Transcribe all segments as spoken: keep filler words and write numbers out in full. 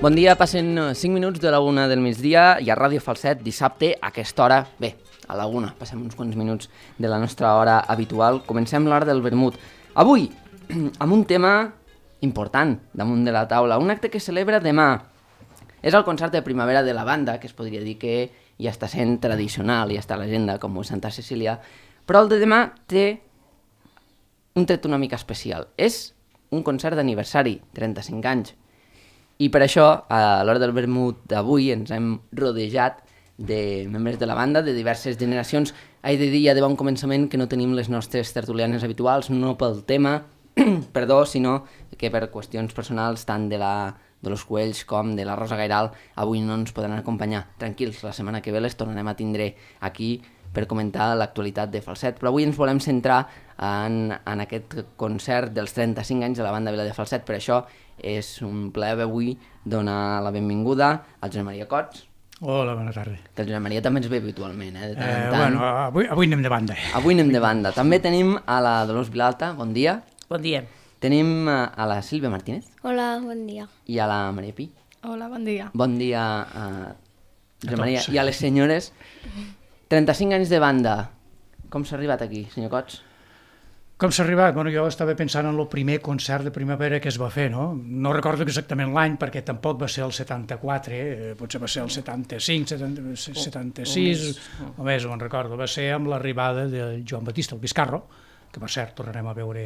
Bon dia, passen cinc minuts de la una del migdia i a Ràdio Falset, dissabte, a aquesta hora, bé, a la una, passem uns quants minuts de la nostra hora habitual, comencem l'hora del vermut. Avui, amb un tema important damunt de la taula, un acte que celebra demà. És el concert de primavera de la banda, que es podria dir que ja està sent tradicional, ja està a l'agenda com Santa Cecília, però el de demà té un tret una mica especial. És un concert d'aniversari, trenta-cinc anys. I per això, a l'hora del vermut d'avui, ens hem rodejat de membres de la banda, de diverses generacions. He de dir ja de bon començament que no tenim les nostres tertulianes habituals, no pel tema, perdó, sinó que per qüestions personals, tant de la de los Cuells com de la Rosa Gairal, avui no ens podran acompanyar. Tranquils, la setmana que ve les tornarem a tindre aquí per comentar l'actualitat de Falset, però avui ens volem centrar en, en aquest concert dels trenta-cinc anys de la banda Vila de Falset. Per això és un plaer avui donar la benvinguda al Josep Maria Cots. Hola, bona tarda. Que el Josep Maria també ens ve habitualment, eh, de tant en Eh, tant. bueno, avui, avui anem de banda. Avui anem de banda. També tenim a la Dolors Vilalta, bon dia. Bon dia. Tenim a la Sílvia Martínez Hola, bon dia. i a la Maria Pi. Hola, bon dia. Bon dia a Josep A Maria tots. i a les senyores. trenta-cinc anys de banda. Com s'ha arribat aquí, senyor Cots? Com s'ha arribat? Bueno, jo estava pensant en el primer concert de primavera que es va fer, no? No recordo exactament l'any, perquè tampoc va ser el setanta-quatre, eh, potser va ser el setanta-cinc, setanta, setanta-sis, o més, ho en recordo. Va ser amb l'arribada del Joan Batista, el Biscarro, que per cert tornarem a veure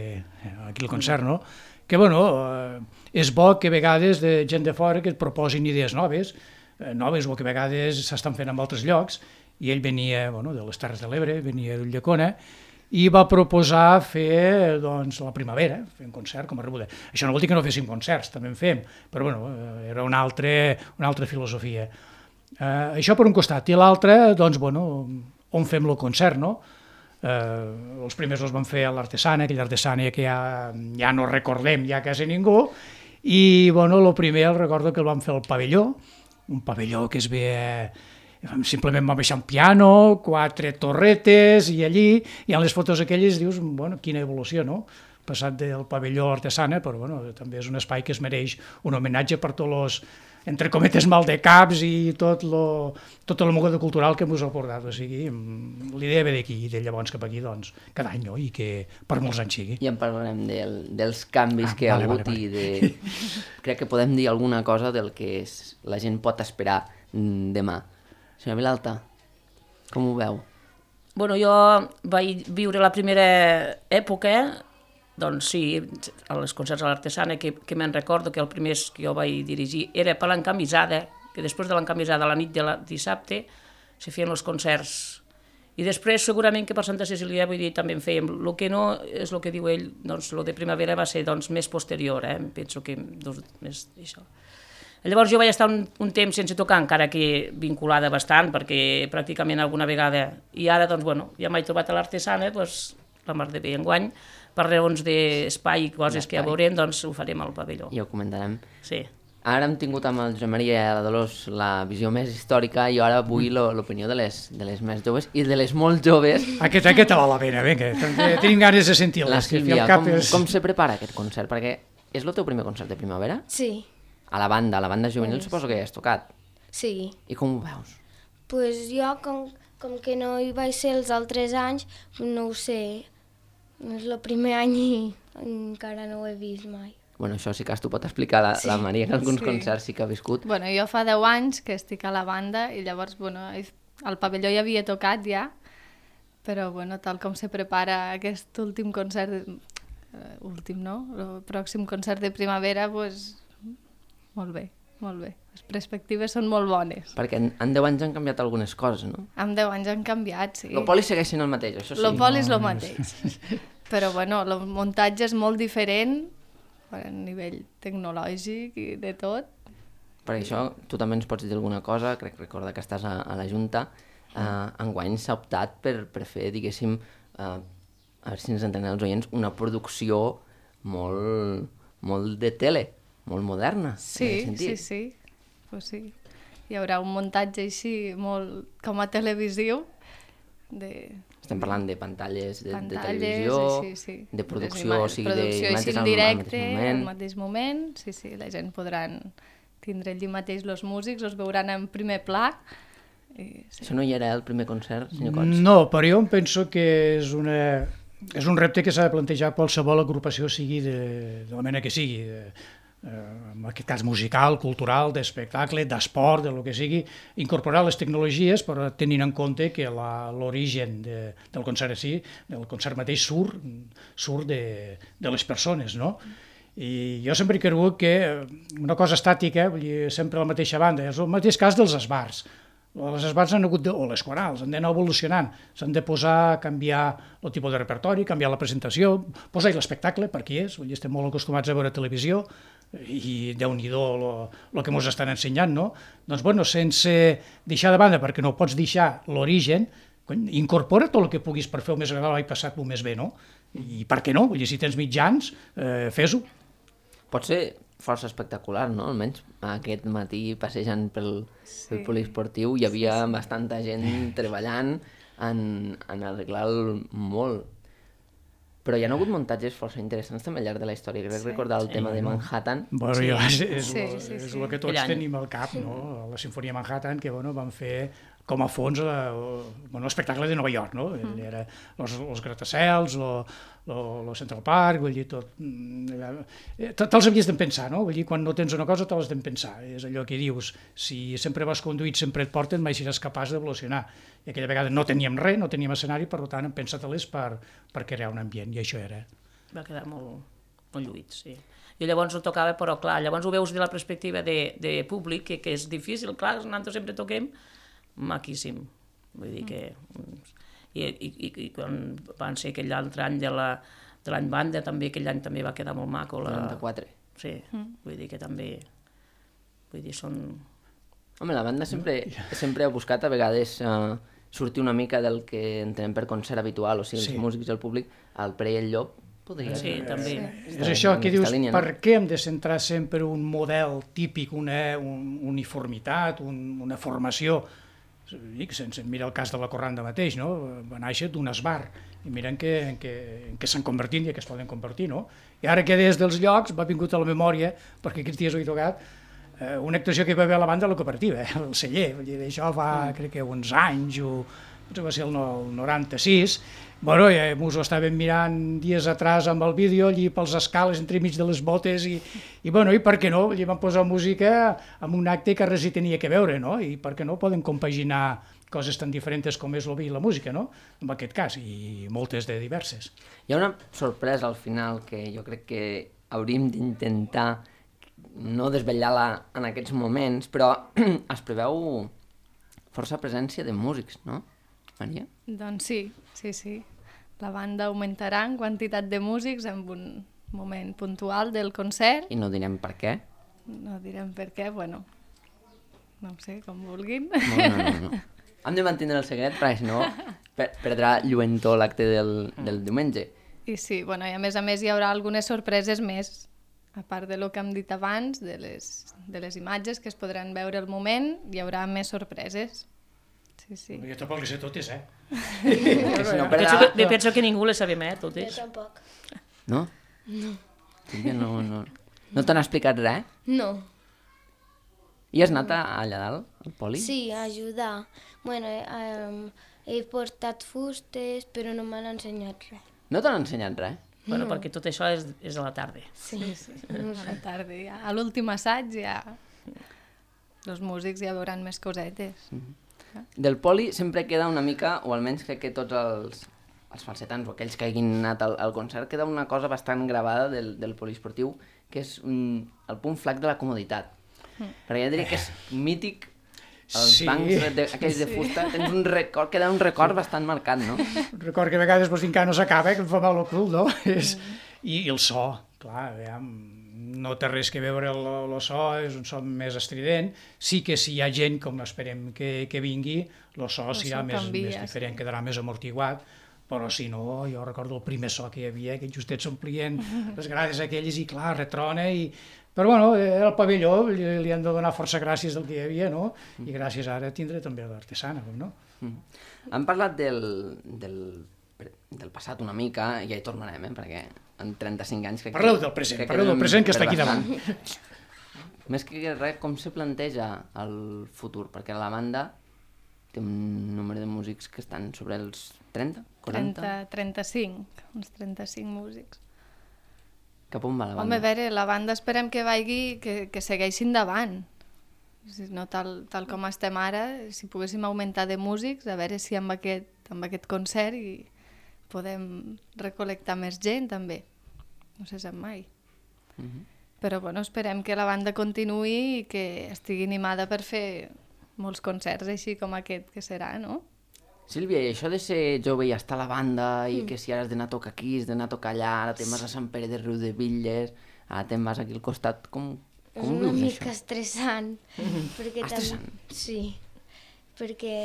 aquí el concert, no? Que, bueno, eh, és bo que a vegades de gent de fora que et proposin idees noves, eh, noves o que a vegades s'estan fent en altres llocs, i ell venia, bueno, de les Terres de l'Ebre, venia d'Ulldecona, i va proposar fer, doncs, la primavera, fer un concert com a rebuda. Això no vol dir que no féssim concerts, també en fem, però, bueno, eh, era una altra, una altra filosofia. Eh, això per un costat, i l'altre, doncs, bueno, on fem el concert, no? Eh, els primers els van fer a l'Artesana, aquella Artesana que ja, ja no recordem ja quasi ningú, i bueno, el primer el recordo que el van fer al pavelló, un pavelló que es ve, simplement van baixar un piano, quatre torretes, i allí, i en les fotos aquelles dius, bueno, quina evolució, no? Passat del pavelló a l'Artesana, però bueno, també és un espai que es mereix un homenatge per tots els, entre cometes, maldecaps i tot lo, tota la mogada cultural que ens ha portat. O sigui, l'idea ve d'aquí, i de llavors cap aquí, doncs, cada any, no? I que per molts anys sigui. Ja en parlarem del, dels canvis Ah, que hi ha vale, hagut vale, vale. i de... Crec que podem dir alguna cosa del que és, la gent pot esperar mm, demà. Senyora Vilalta, com ho veu? Bueno, jo vaig viure la primera època, doncs sí, als concerts a l'Artesana, que, que me'n recordo que el primer que jo vaig dirigir era per l'encamisada, que després de l'encamisada a la nit de la dissabte se feien els concerts. I després segurament que per Santa Cecília, vull dir, també en fèiem. El que no és el que diu ell, doncs el de primavera va ser doncs, més posterior, eh? Penso que dos, més això. Llavors jo vaig estar un, un temps sense tocar, encara que vinculada bastant, perquè pràcticament alguna vegada, i ara doncs, bueno, ja m'he trobat a l'Artesana, doncs, la mar de bé enguany, per raons d'espai i coses que ja veurem, doncs ho farem al pavelló. Ja ho comentarem. Sí. Ara hem tingut amb el Josep Maria i la Dolors la visió més històrica i ara vull l'opinió de les, de les més joves i de les molt joves. Aquest, aquest val la pena, vinga, tenim ganes de sentir-les. La que Sílvia, al cap com, és... com se prepara aquest concert? Perquè és el teu primer concert de primavera? Sí, A la banda, a la banda juvenil Pues- suposo que ja has tocat. sí. I com ho veus? Pues jo, com, com que no hi vaig ser els altres anys, no ho sé. És el primer any i encara no ho he vist mai. Bueno, això sí que t'ho pot explicar la, la Maria, que alguns Sí. concerts sí que ha viscut. Bueno, jo fa deu anys que estic a la banda i llavors, bueno, al pavelló ja havia tocat ja, però, bueno, tal com se prepara aquest últim concert, eh, últim, no? El pròxim concert de primavera, pues, molt bé, molt bé. Les perspectives són molt bones. Perquè en, en deu anys han canviat algunes coses, no? Amb deu anys han canviat, sí. El poli segueix sent el mateix, això sí. El poli és el mateix. Però, bueno, el muntatge és molt diferent a nivell tecnològic i de tot. Per això tu també ens pots dir alguna cosa, crec recordar que estàs a, a la Junta. Uh, enguany s'ha optat per, per fer, diguéssim, uh, a veure si ens entenen els oients, una producció molt, molt de tele, molt moderna. en Sí, aquest sí, sentit. sí. Pues sí. Hi haurà un muntatge així molt com a televisiu de Estem parlant de pantalles de, de pantalles, televisió, sí, sí. de producció, ima- o sigui, producció d'imatges així en al, directe, al mateix moment. al mateix moment, sí, sí, la gent podran tindre allí mateix els músics, els veuran en primer pla. I, sí. Això no hi era el primer concert, senyor Cots? No, però jo em penso que és, una, és un repte que s'ha de plantejar qualsevol agrupació, sigui de, de la mena que sigui, de, eh, en aquest cas musical, cultural, d'espectacle, d'esport, de lo que sigui, incorporar les tecnologies, però tenint en compte que l'origen de, del concert sí, del concert mateix surt, surt de, de les persones, no? I jo sempre he cregut que una cosa estàtica, vull dir, sempre la mateixa banda, és el mateix cas dels esbars. Les esbars han hagut de, o les corals, han d'anar evolucionant, s'han de posar, canviar el tipus de repertori, canviar la presentació, posar-hi l'espectacle, per qui és, vull dir, estem molt acostumats a veure televisió, i Déu-n'hi-do el que ens estan ensenyant, no? Doncs, bueno, sense deixar de banda, perquè no pots deixar l'origen, incorpora tot el que puguis per fer-ho més agradable i passar-ho més bé, no? I per què no? Vull dir, si tens mitjans, eh, fes-ho. Pot ser força espectacular, no? Almenys aquest matí passejant pel, sí. pel poliesportiu hi havia sí, sí. bastanta gent treballant en, en arreglar-lo molt. Però hi ha hagut muntatges força interessants també al llarg de la història. Crec sí. recordar el sí, tema de Manhattan. Bueno, sí. jo, és, és, sí, lo, sí, és sí. el que tots tenim al cap, no? La Sinfonia Manhattan, que bueno, van fer com a fons l'espectacle de Nova York, no? Mm. Era els gratacels, el Central Park, vull dir, tot... Te'ls havies de pensar, no? Vull dir, quan no tens una cosa te l'has de pensar. És allò que dius, si sempre vas conduït, sempre et porten, mai seràs capaç d'evolucionar. I aquella vegada no teníem res, no teníem escenari, per tant, hem pensat a l'és per, per crear un ambient, i això era. Va quedar molt, molt lluït, sí. I llavors ho tocava, però clar, llavors ho veus de la perspectiva de, de públic, que, que és difícil, clar, nosaltres sempre toquem, maquíssim. Vull dir que... I, i, i quan van ser aquell altre any de l'any banda, també aquell any també va quedar molt maco. La... noranta-quatre. Sí, mm. vull dir que també... Vull dir, són... Home, la banda sempre, sempre ha buscat a vegades uh, sortir una mica del que entenem per concert habitual, o sigui, els sí. músics i el públic, el Pre i el Llop, podria... Sí, eh, també. Sí. És això que dius, línia, per no? què hem de centrar sempre un model típic, una un, uniformitat, un, una formació? Dic, sense mirar el cas de la Corranda mateix, no? Va néixer d'un esbar, i miren que, que, que s'han convertit i que es poden convertir, no? I ara que des dels llocs m'ha vingut a la memòria, perquè aquests dies ho he tocat, eh, una actuació que hi va haver a la banda de la cooperativa, eh, el celler, vull dir, això fa, crec que uns anys, o potser va ser el, el noranta-sis, bueno, ja mos ho estàvem mirant dies atrás amb el vídeo, allí pels escales, entremig de les botes, i, i bueno, i per què no? Allí van posar música amb un acte que res hi tenia que veure, no? I per què no poden compaginar coses tan diferents com és el vi i la música, no? En aquest cas, i moltes de diverses. Hi ha una sorpresa al final que jo crec que hauríem d'intentar no desvetllar-la en aquests moments, però es preveu força presència de músics, no, Maria? Doncs sí, sí, sí. La banda augmentarà en quantitat de músics en un moment puntual del concert. I no direm per què? No direm per què, bueno, no sé, com vulguin. No, no, no. no. Hem de mantenir el secret, perquè si no perdrà lluentor l'acte del, del diumenge. I sí, bueno, i a més a més hi haurà algunes sorpreses més, a part de lo que hem dit abans, de les, de les imatges que es podran veure al moment, hi haurà més sorpreses. Sí, sí. Jo tampoc les sé totes, eh? Si no, penso, que, penso que ningú les sabem, eh, totes. Jo tampoc. No? No. No, no. No t'han explicat res? No. I has anat allà dalt, al poli? Sí, a ajudar. Bueno, eh, um, he portat fustes, però no m'han ensenyat res. No t'han ensenyat res? Bueno, no. Perquè tot això és, és a la tarda. Sí, sí, sí. A la tarda. Ja. A l'últim assaig ja... Els músics ja veuran més cosetes. Mm-hmm. Del poli sempre queda una mica, o almenys crec que tots els, els falsetans o aquells que hagin anat al, al concert, queda una cosa bastant gravada del, del poliesportiu, que és un, el punt flac de la comoditat. Mm. Perquè ja diria que és mític, els sí. bancs de, aquells de fusta, sí. tens un record, queda un record bastant marcat, no? Un record que a vegades pues, encara no s'acaba, que em fa mal el cul, no? És... I, I el so, clar, aviam, no té res que veure el, el so, és un so més estrident. Sí que si hi ha gent, com esperem que, que vingui, el so el serà so més, canvia, més diferent, sí. quedarà més amortiguat, però si no, jo recordo el primer so que hi havia, que justet s'omplien les grades aquelles i clar, retrona, i... però bueno, el pavelló li, li han de donar força gràcies del que hi havia, no? I gràcies ara tindre també l'artesana, no? Mm. Hem parlat del, del, del passat una mica, i ja hi tornarem, eh? Perquè en trenta-cinc anys... Parleu del present, parleu del present que està aquí davant. Més que res, com se planteja el futur? Perquè la banda té un número de músics que estan sobre els trenta, quaranta? trenta, trenta-cinc, uns trenta-cinc músics. Cap on va la banda? Home, a veure, la banda esperem que vagi, que, que segueixi endavant. Si no, tal, tal com estem ara, si poguéssim augmentar de músics, a veure si amb aquest, amb aquest concert i podem recol·lectar més gent, també. No se sap mai. Mhm. Però bueno, esperem que la banda continuï i que estigui animada per fer molts concerts així com aquest que serà, no? Sílvia, i això de ser jove i estar a la banda i que si ara has d'anar a tocar aquí, has d'anar a tocar allà, ara te'n vas a Sant Pere de Riudebitlles, ara te'n vas aquí al costat, com, És com ho una vius, mica això? estressant. perquè Estressant? Tam... Sí, perquè,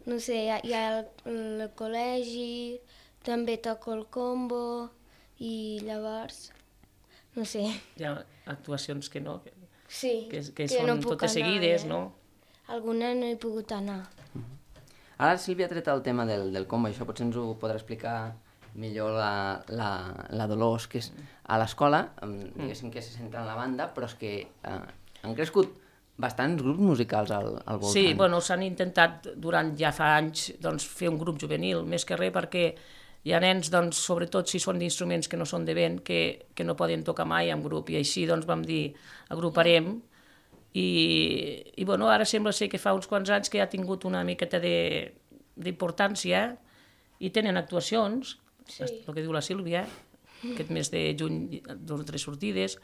no sé, hi ha, hi ha el, el col·legi, també toco el combo i llavors, no sé, Hi ha actuacions que no, que, sí, que, que que són no puc totes anar, seguides, eh? no? Alguna no he pogut anar. Ara Sílvia ha tret el tema del, del combo, això potser ens ho podrà explicar millor la, la, la Dolors, que és a l'escola, em, diguéssim que se centra en la banda, però és que eh, han crescut bastants grups musicals al, al voltant. Sí, bueno, s'han intentat durant ja fa anys doncs, fer un grup juvenil, més que res perquè hi ha nens, doncs, sobretot si són d'instruments que no són de vent, que, que no poden tocar mai en grup, i així doncs, vam dir, agruparem, i, i bueno, ara sembla ser que fa uns quants anys que ja ha tingut una miqueta d'importància i tenen actuacions, Sí. el que diu la Sílvia, aquest mes de juny, dos o tres sortides,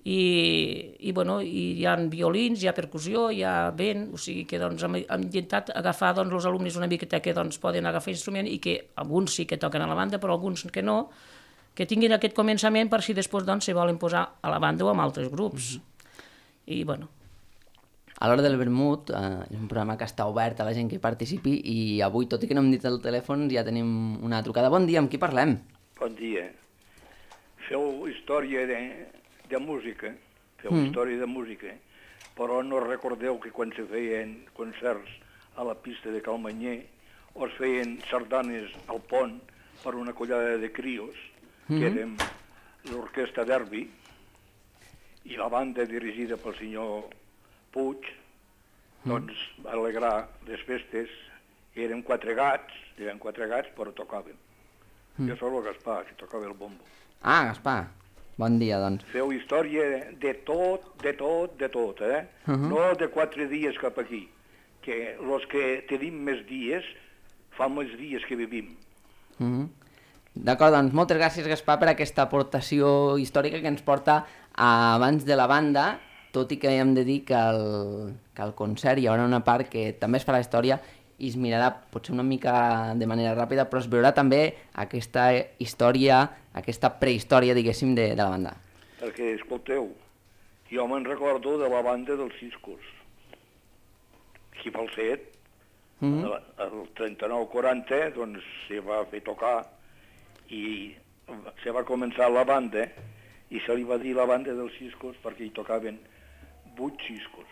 i, i, bueno, i hi ha violins, hi ha percussió, hi ha vent, o sigui que doncs, hem, hem intentat agafar doncs, els alumnes una miqueta que doncs, poden agafar instrument i que alguns sí que toquen a la banda, però alguns que no, que tinguin aquest començament per si després doncs, se volen posar a la banda o amb altres grups. I, bueno, A l'hora del vermut, eh, és un programa que està obert a la gent que hi participi i avui, tot i que no hem dit el telèfon, ja tenim una trucada. Bon dia, amb qui parlem? Bon dia. Feu història de, de música, feu Mm. història de música, però no recordeu que quan se feien concerts a la pista de Calmanyer o es feien sardanes al pont per una collada de crios, que érem l'orquestra Derbi, i la banda dirigida pel senyor Puig, doncs va alegrar les festes, érem quatre gats, eren quatre gats, però tocaven. Jo sóc el Gaspar, que tocava el bombo. Ah, Gaspar. Bon dia, doncs. Feu història de tot, de tot, de tot, eh? Mhm. No de quatre dies cap aquí, que els que tenim més dies fan més dies que vivim. Mhm. D'acord, doncs moltes gràcies, Gaspar, per aquesta aportació històrica que ens porta a abans de la banda, tot i que hem de dir que al, que al concert hi haurà una part que també es farà història i es mirarà potser una mica de manera ràpida, però es veurà també aquesta història, aquesta prehistòria, diguéssim, de, de la banda. Perquè, escolteu, jo me'n recordo de la banda dels Ciscos. Aquí pel set, Mhm. el trenta-nou quaranta, doncs se va fer tocar i se va començar la banda i se li va dir la banda dels Ciscos perquè hi tocaven vuit Ciscos.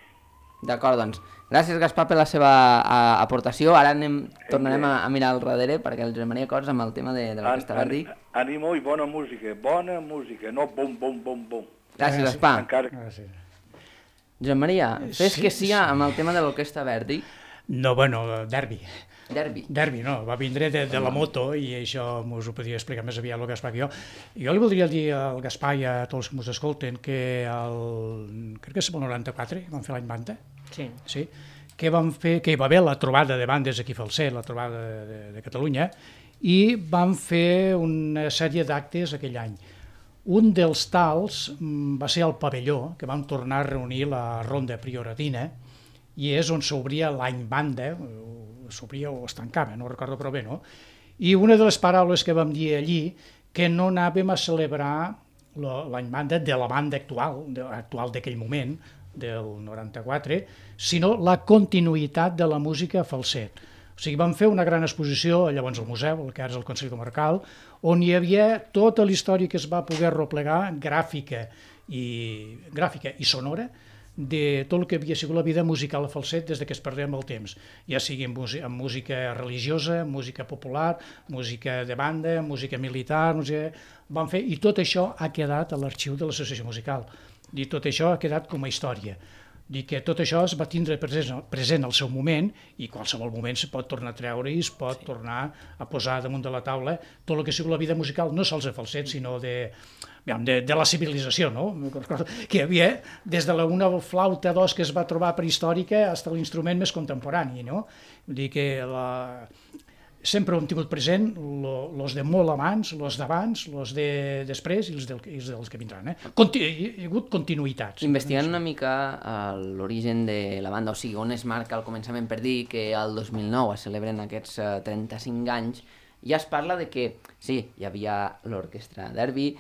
D'acord, doncs. Gràcies, Gaspar, per la seva a, aportació. Ara anem, tornarem a, a mirar al darrere perquè el Josep Maria Cors amb el tema de, de l'orquestra Verdi. Ànimo i bona música, bona música, no bom, bom, bom, bom. Gràcies, Gaspar. Encara... Gràcies. Josep Maria, fes Sí, que sí amb el tema de l'orquestra Verdi. No, bueno, derbi. Derbi. Derbi, no, va vindre de, de la moto i això us ho podia explicar més aviat el Gaspar que jo. Jo li voldria dir al Gaspar i a tots els que ens escolten que el, crec que és el noranta-quatre, vam fer l'any banda, sí. sí, que, vam fer, que hi va haver la trobada de bandes aquí a Falset, la trobada de, de, de Catalunya, i vam fer una sèrie d'actes aquell any. Un dels tals mm, va ser el pavelló, que vam tornar a reunir la ronda prioratina, i és on s'obria l'any banda, s'obria o es tancava, no recordo però bé, no? I una de les paraules que vam dir allí, que no anàvem a celebrar l'any banda de la banda actual, de, actual d'aquell moment, del noranta-quatre, sinó la continuïtat de la música a Falset. O sigui, vam fer una gran exposició, llavors al museu, el que ara és el Consell Comarcal, on hi havia tota la història que es va poder replegar, gràfica i, gràfica i sonora, de tot el que havia sigut la vida musical a Falset des que es perdem el temps, ja sigui amb, amb música religiosa, música popular, música de banda, música militar, música... Vam fer, i tot això ha quedat a l'arxiu de l'associació musical. Dir, tot això ha quedat com a història. Dir que tot això es va tindre present, present al seu moment i qualsevol moment se pot tornar a treure i es pot sí. tornar a posar damunt de la taula tot el que ha sigut la vida musical, no sols de falset, sinó de, de, de la civilització, no? Que hi havia des de la una flauta dos que es va trobar prehistòrica fins a l'instrument més contemporani, no? Vull dir que la... sempre hem tingut present els de molt abans, els d'abans, els de després i els, del, i els dels que vindran. Eh? Conti hi ha hagut continuïtats. Investigant una mica l'origen de la banda, o sigui, on es marca el començament per dir que el dos mil nou es celebren aquests trenta-cinc anys, ja es parla de que, sí, hi havia l'orquestra Derby,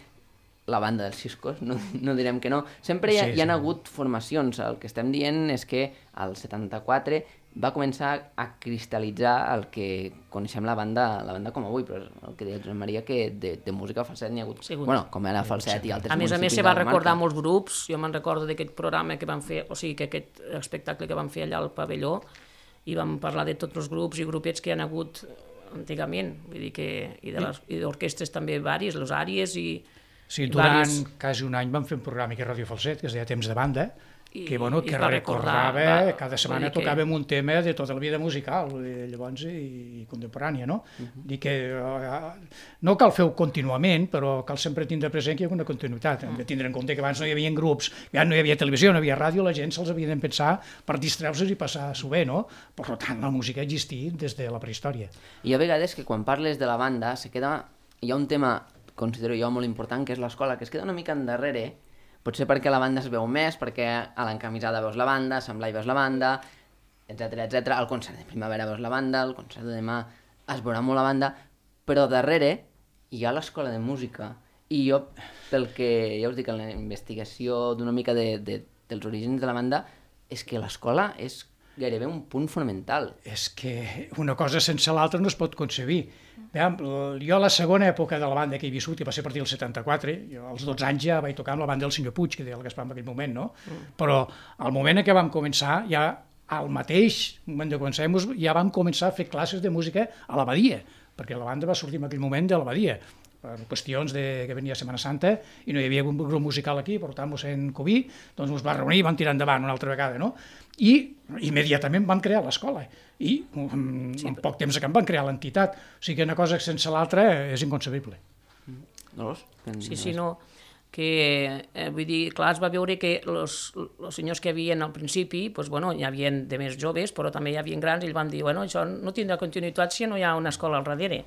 la banda dels Ciscos, no, no direm que no, sempre hi ha, sí, sí. hi ha hagut formacions, el que estem dient és que al setanta-quatre va començar a cristal·litzar el que coneixem la banda, la banda com avui, però el que deia Josep Maria, que de, de música falset n'hi ha hagut, sí, bueno, com era falset sí, i altres a municipis. A més a més se va recordar molts grups, jo me'n recordo d'aquest programa que van fer, o sigui, que aquest espectacle que van fer allà al pavelló, i vam parlar de tots els grups i grupets que hi ha hagut antigament, vull dir que, i d'orquestres també varis, les àries i... Sí, durant quasi un any vam fer un programa que és Radio Falset, que es deia Temps de Banda, que, bueno, que recordava, va, cada setmana tocàvem que... un tema de tota la vida musical, llavors, i, i contemporània, no? Uh -huh. Dir que uh, no cal fer-ho contínuament, però cal sempre tindre present que hi ha una continuïtat. Hem de tindre en compte que abans no hi havia grups, ja no hi havia televisió, no hi havia ràdio, la gent se'ls havia de pensar per distreure-se i passar-s'ho bé, no? Per tant, la música ha existit des de la prehistòria. I a vegades que quan parles de la banda se queda... Hi ha un tema, considero jo, molt important, que és l'escola, que es queda una mica endarrere, potser perquè la banda es veu més, perquè a l'encamisada veus la banda, a Sant Blai veus la banda, etcètera, etcètera. Al concert de primavera veus la banda, al concert de demà es veurà molt la banda, però darrere hi ha l'escola de música. I jo, pel que ja us dic en la investigació d'una mica de, de, dels orígens de la banda, és que l'escola és gairebé un punt fonamental. És que una cosa sense l'altra no es pot concebir. Jo la segona època de la banda que he viscut, que va ser a partir del setanta-quatre, jo als dotze anys ja vaig tocar amb la banda del senyor Puig, que deia el Gaspar en aquell moment, no? Mm. Però al moment en què vam començar, ja al mateix moment de començar, ja vam començar a fer classes de música a l'Abadia, perquè la banda va sortir en aquell moment de l'Abadia, per qüestions de, que venia Setmana Santa i no hi havia un grup musical aquí, per tant, mossèn Cubí, doncs ens va reunir i vam tirar endavant una altra vegada, no? I immediatament vam crear l'escola i en, sí, en poc temps que en van crear l'entitat, o sigui que una cosa sense l'altra és inconcebible. Dolors? Sí, sí, no, que eh, vull dir, clar, es va veure que els senyors que hi havia al principi, doncs, bueno, hi havia de més joves, però també hi havia grans, i ells van dir, bueno, això no tindrà continuïtat si no hi ha una escola al darrere.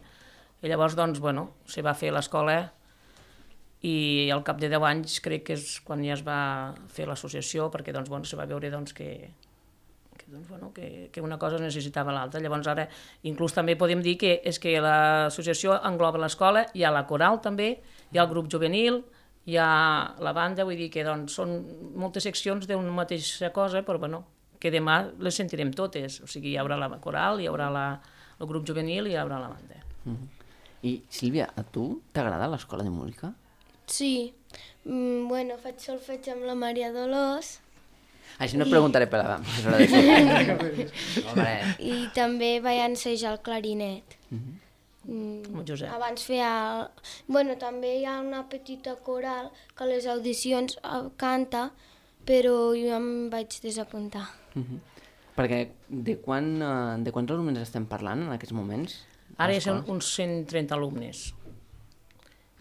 I llavors, doncs, bueno, se va fer l'escola i al cap de deu anys crec que és quan ja es va fer l'associació, perquè, doncs, bueno, se va veure, doncs, que, que, doncs, bueno, que, que una cosa necessitava l'altra. Llavors, ara, inclús també podem dir que és que l'associació engloba l'escola, hi ha la coral també, hi ha el grup juvenil, hi ha la banda, vull dir que, doncs, són moltes seccions d'una mateixa cosa, però, bueno, que demà les sentirem totes. O sigui, hi haurà la coral, hi haurà la, el grup juvenil i hi haurà la banda. Mm-hmm. I, Sílvia, a tu t'agrada l'escola de música? Sí. Mm, bueno, faig solfeig amb la Maria Dolors. Això no et preguntaré per la professora de solfeig. I també vaig ensejar el clarinet. Mm-hmm. Mm, Josep. Abans feia... Bueno, també hi ha una petita coral que a les audicions canta, però jo em vaig desapuntar. Mm-hmm. Perquè de, quan, de quants alumnes estem parlant en aquests moments? Ara hi ha uns cent trenta alumnes,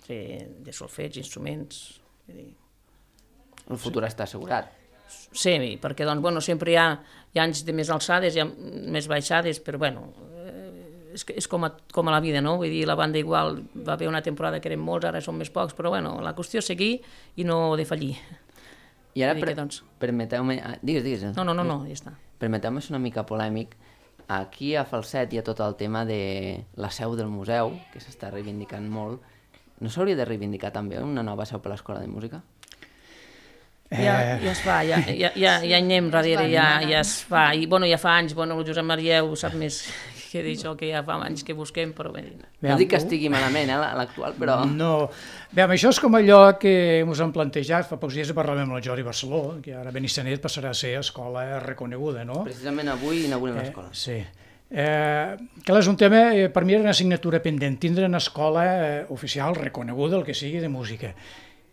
de, de solfeig, instruments... El futur sí. està assegurat. Sí, perquè doncs, bueno, sempre hi ha, hi ha anys de més alçades, hi ha més baixades, però bueno, és, és com, a, com a la vida, no? Vull dir, la banda igual va haver una temporada que eren molts, ara són més pocs, però bueno, la qüestió és seguir i no defallir. I ara, per, doncs... permeteu-me... Digues, digues. No, no, no, no, ja està. Permeteu-me ser una mica polèmic. Aquí a Falset hi ha tot el tema de la seu del museu, que s'està reivindicant molt. No s'hauria de reivindicar també una nova seu per l'Escola de Música? Eh... Ja, ja es fa, ja, ja, ja, ja hi anem darrere, ja, ja es fa. I bueno, ja fa anys, bueno, el Josep Maria ho sap més que d'això, que ja fa anys que busquem, però bé... No dic que estigui malament, eh, l'actual, però... No, bé, això és com allò que ens han plantejat, fa pocs dies parlàvem amb el Jordi Barceló, que ara Benissanet passarà a ser escola reconeguda, no? Precisament avui inaugurem l'escola. Eh, sí. Eh, que és un tema, eh, per mi era una assignatura pendent, tindre una escola eh, oficial reconeguda, el que sigui, de música.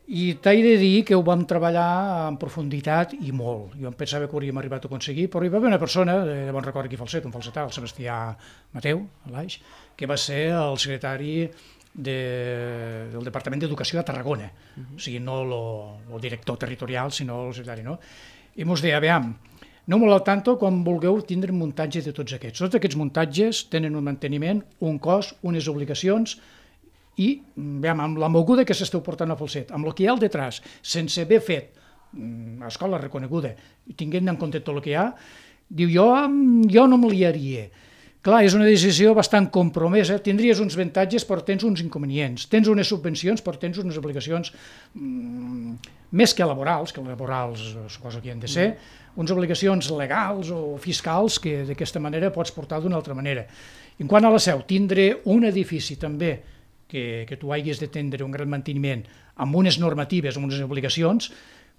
I t'he de dir que ho vam treballar en profunditat i molt. Jo em pensava que ho hauríem arribat a aconseguir, però hi va haver una persona, de bon record aquí a Falset, un falsetà, el Sebastià Mateu, a l'Aix, que va ser el secretari de, del Departament d'Educació de Tarragona. Uh-huh. O sigui, no el director territorial, sinó el secretari, no? I mos deia, aviam, aneu-me al tanto quan vulgueu tindre un muntatge de tots aquests. Tots aquests muntatges tenen un manteniment, un cost, unes obligacions, i veiem, amb la moguda que s'esteu portant a Falset, amb el que hi ha al detrás, sense haver fet a escola reconeguda, tinguent en compte tot el que hi ha, diu, jo, jo no me liaria. Clar, és una decisió bastant compromesa, tindries uns avantatges però tens uns inconvenients, tens unes subvencions però tens unes obligacions mmm, més que laborals, que laborals suposo que hi han de ser, unes obligacions legals o fiscals que d'aquesta manera pots portar d'una altra manera. En quant a la Seu, tindre un edifici també que, que tu hagis de tindre un gran manteniment amb unes normatives, amb unes obligacions,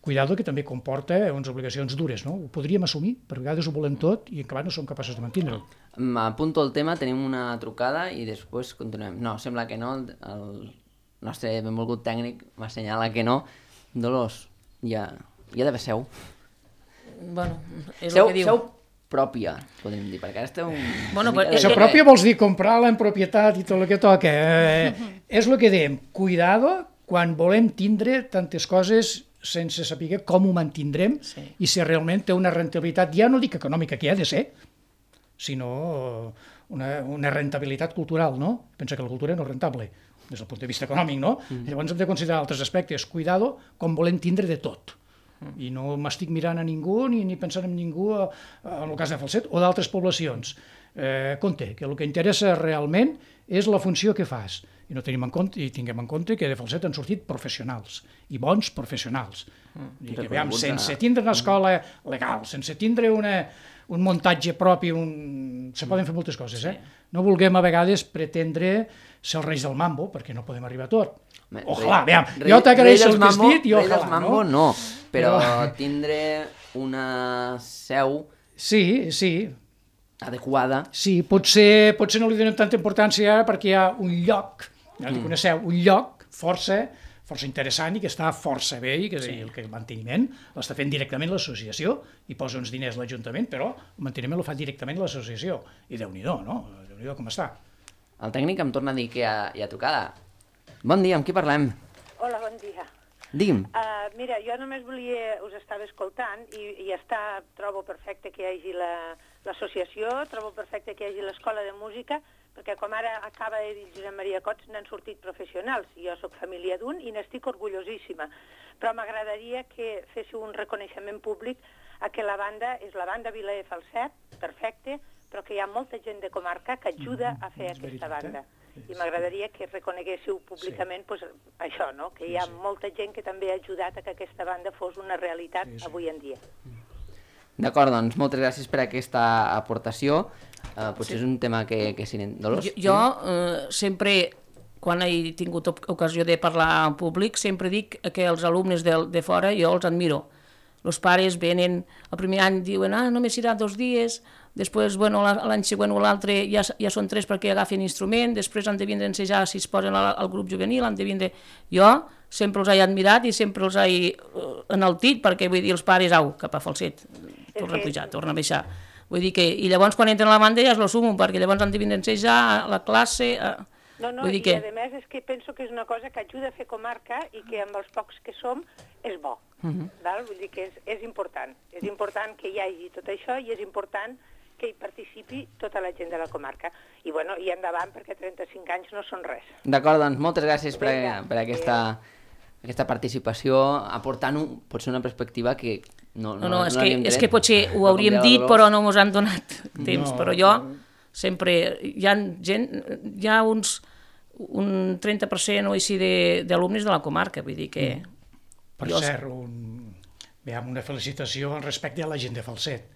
cuidado que també comporta unes obligacions dures, no? Ho podríem assumir, per vegades ho volem tot i en acabat no som capaços de mantenir-ho. M'apunto el tema, tenim una trucada i després continuem. No, sembla que no, el nostre benvolgut tècnic m'assenyala que no. Dolors, ja, ja deve seu. Bueno, és seu, el que diu. Seu pròpia, podríem dir, perquè ara esteu... Bueno, mica però- Això de- pròpia vols dir comprar-la en propietat i tot el que toca. Eh, és el que dèiem, cuidado quan volem tindre tantes coses sense saber com ho mantindrem Sí. i si realment té una rentabilitat, ja no dic econòmica, que hi ha de ser, sinó una, una rentabilitat cultural, no? Pensa que la cultura no és rentable des del punt de vista econòmic, no? Mm. Llavors hem de considerar altres aspectes. Cuidado com volem tindre de tot. I no m'estic mirant a ningú ni, ni pensant en ningú a, a, en el cas de Falset o d'altres poblacions. Eh, compte, que el que interessa realment és la funció que fas i no tenim en compte, i tinguem en compte que de Falset han sortit professionals i bons professionals. Mm. I que, veiem, sense tindre una escola legal, sense tindre una, un muntatge propi, un... se poden fer moltes coses, eh? No vulguem a vegades pretendre ser els reis del mambo, perquè no podem arribar a tot. Home, Ojalà, rei- veiem, rei- jo t'agraeixo rei el dels mambo- vestit i rei dels ojalà, mambo, no? no, però tindre una seu Sí, sí, adequada. sí, potser, potser no li donem tanta importància ara perquè hi ha un lloc, ja dic una seu, un lloc força, força interessant i que està força bé i que sí. el, que el manteniment l'està fent directament l'associació i posa uns diners l'Ajuntament, però el manteniment el fa directament l'associació. I Déu-n'hi-do, no? Déu-n'hi-do com està. El tècnic em torna a dir que hi ha, hi ha tocada. Bon dia, amb qui parlem? Hola, bon dia. Digui'm. Uh, mira, jo només volia, us estava escoltant i, i està, trobo perfecte que hi hagi la- l'associació, trobo perfecte que hi hagi l'escola de música, perquè com ara acaba de dir Josep Maria Cots, n'han sortit professionals. Jo sóc família d'un i n'estic orgullosíssima. Però m'agradaria que féssiu un reconeixement públic a que la banda és la banda Vila de Falset, perfecte, però que hi ha molta gent de comarca que ajuda a fer és aquesta veritat, banda. eh? I m'agradaria que reconeguéssiu públicament pues, això, no? Que hi ha molta gent que també ha ajudat a que aquesta banda fos una realitat Sí, sí. avui en dia. D'acord, doncs moltes gràcies per aquesta aportació. Uh, potser sí. és un tema que, que si... Dolors? Jo, jo eh, sempre, quan he tingut op- ocasió de parlar en públic, sempre dic que els alumnes de, de fora jo els admiro. Els pares venen, el primer any diuen, ah, només serà dos dies, després, bueno, la- l'any següent o l'altre ja, ja són tres perquè agafen instrument, després han de vindre a ensejar si es posen al, al grup juvenil, han de vindre... Jo sempre els he admirat i sempre els he uh, enaltit, perquè vull dir, els pares, au, cap a Falset, torna a que- pujar, torna a baixar. Vull dir que, i llavors quan entren a la banda ja es lo sumo, perquè llavors han de vindre a ensejar a la classe... A... No, no, Vull dir i que... a més és que penso que és una cosa que ajuda a fer comarca i que amb els pocs que som és bo. Uh -huh. Val? Vull dir que és, és important. És important que hi hagi tot això i és important que hi participi tota la gent de la comarca. I, bueno, i endavant, perquè trenta-cinc anys no són res. D'acord, doncs moltes gràcies per, Vinga, per aquesta, aquesta participació, aportant un, potser una perspectiva que no, No, no, és, que, l'havíem és tret. que potser ho Com hauríem deia la dit, Dolors. però no ens han donat temps. No. Però jo sempre... Hi ha gent, hi ha uns, un trenta per cent o així de- d'alumnes de, de la comarca, vull dir que... Per Jo- cert, un, veiem, una felicitació respecte a la gent de Falset.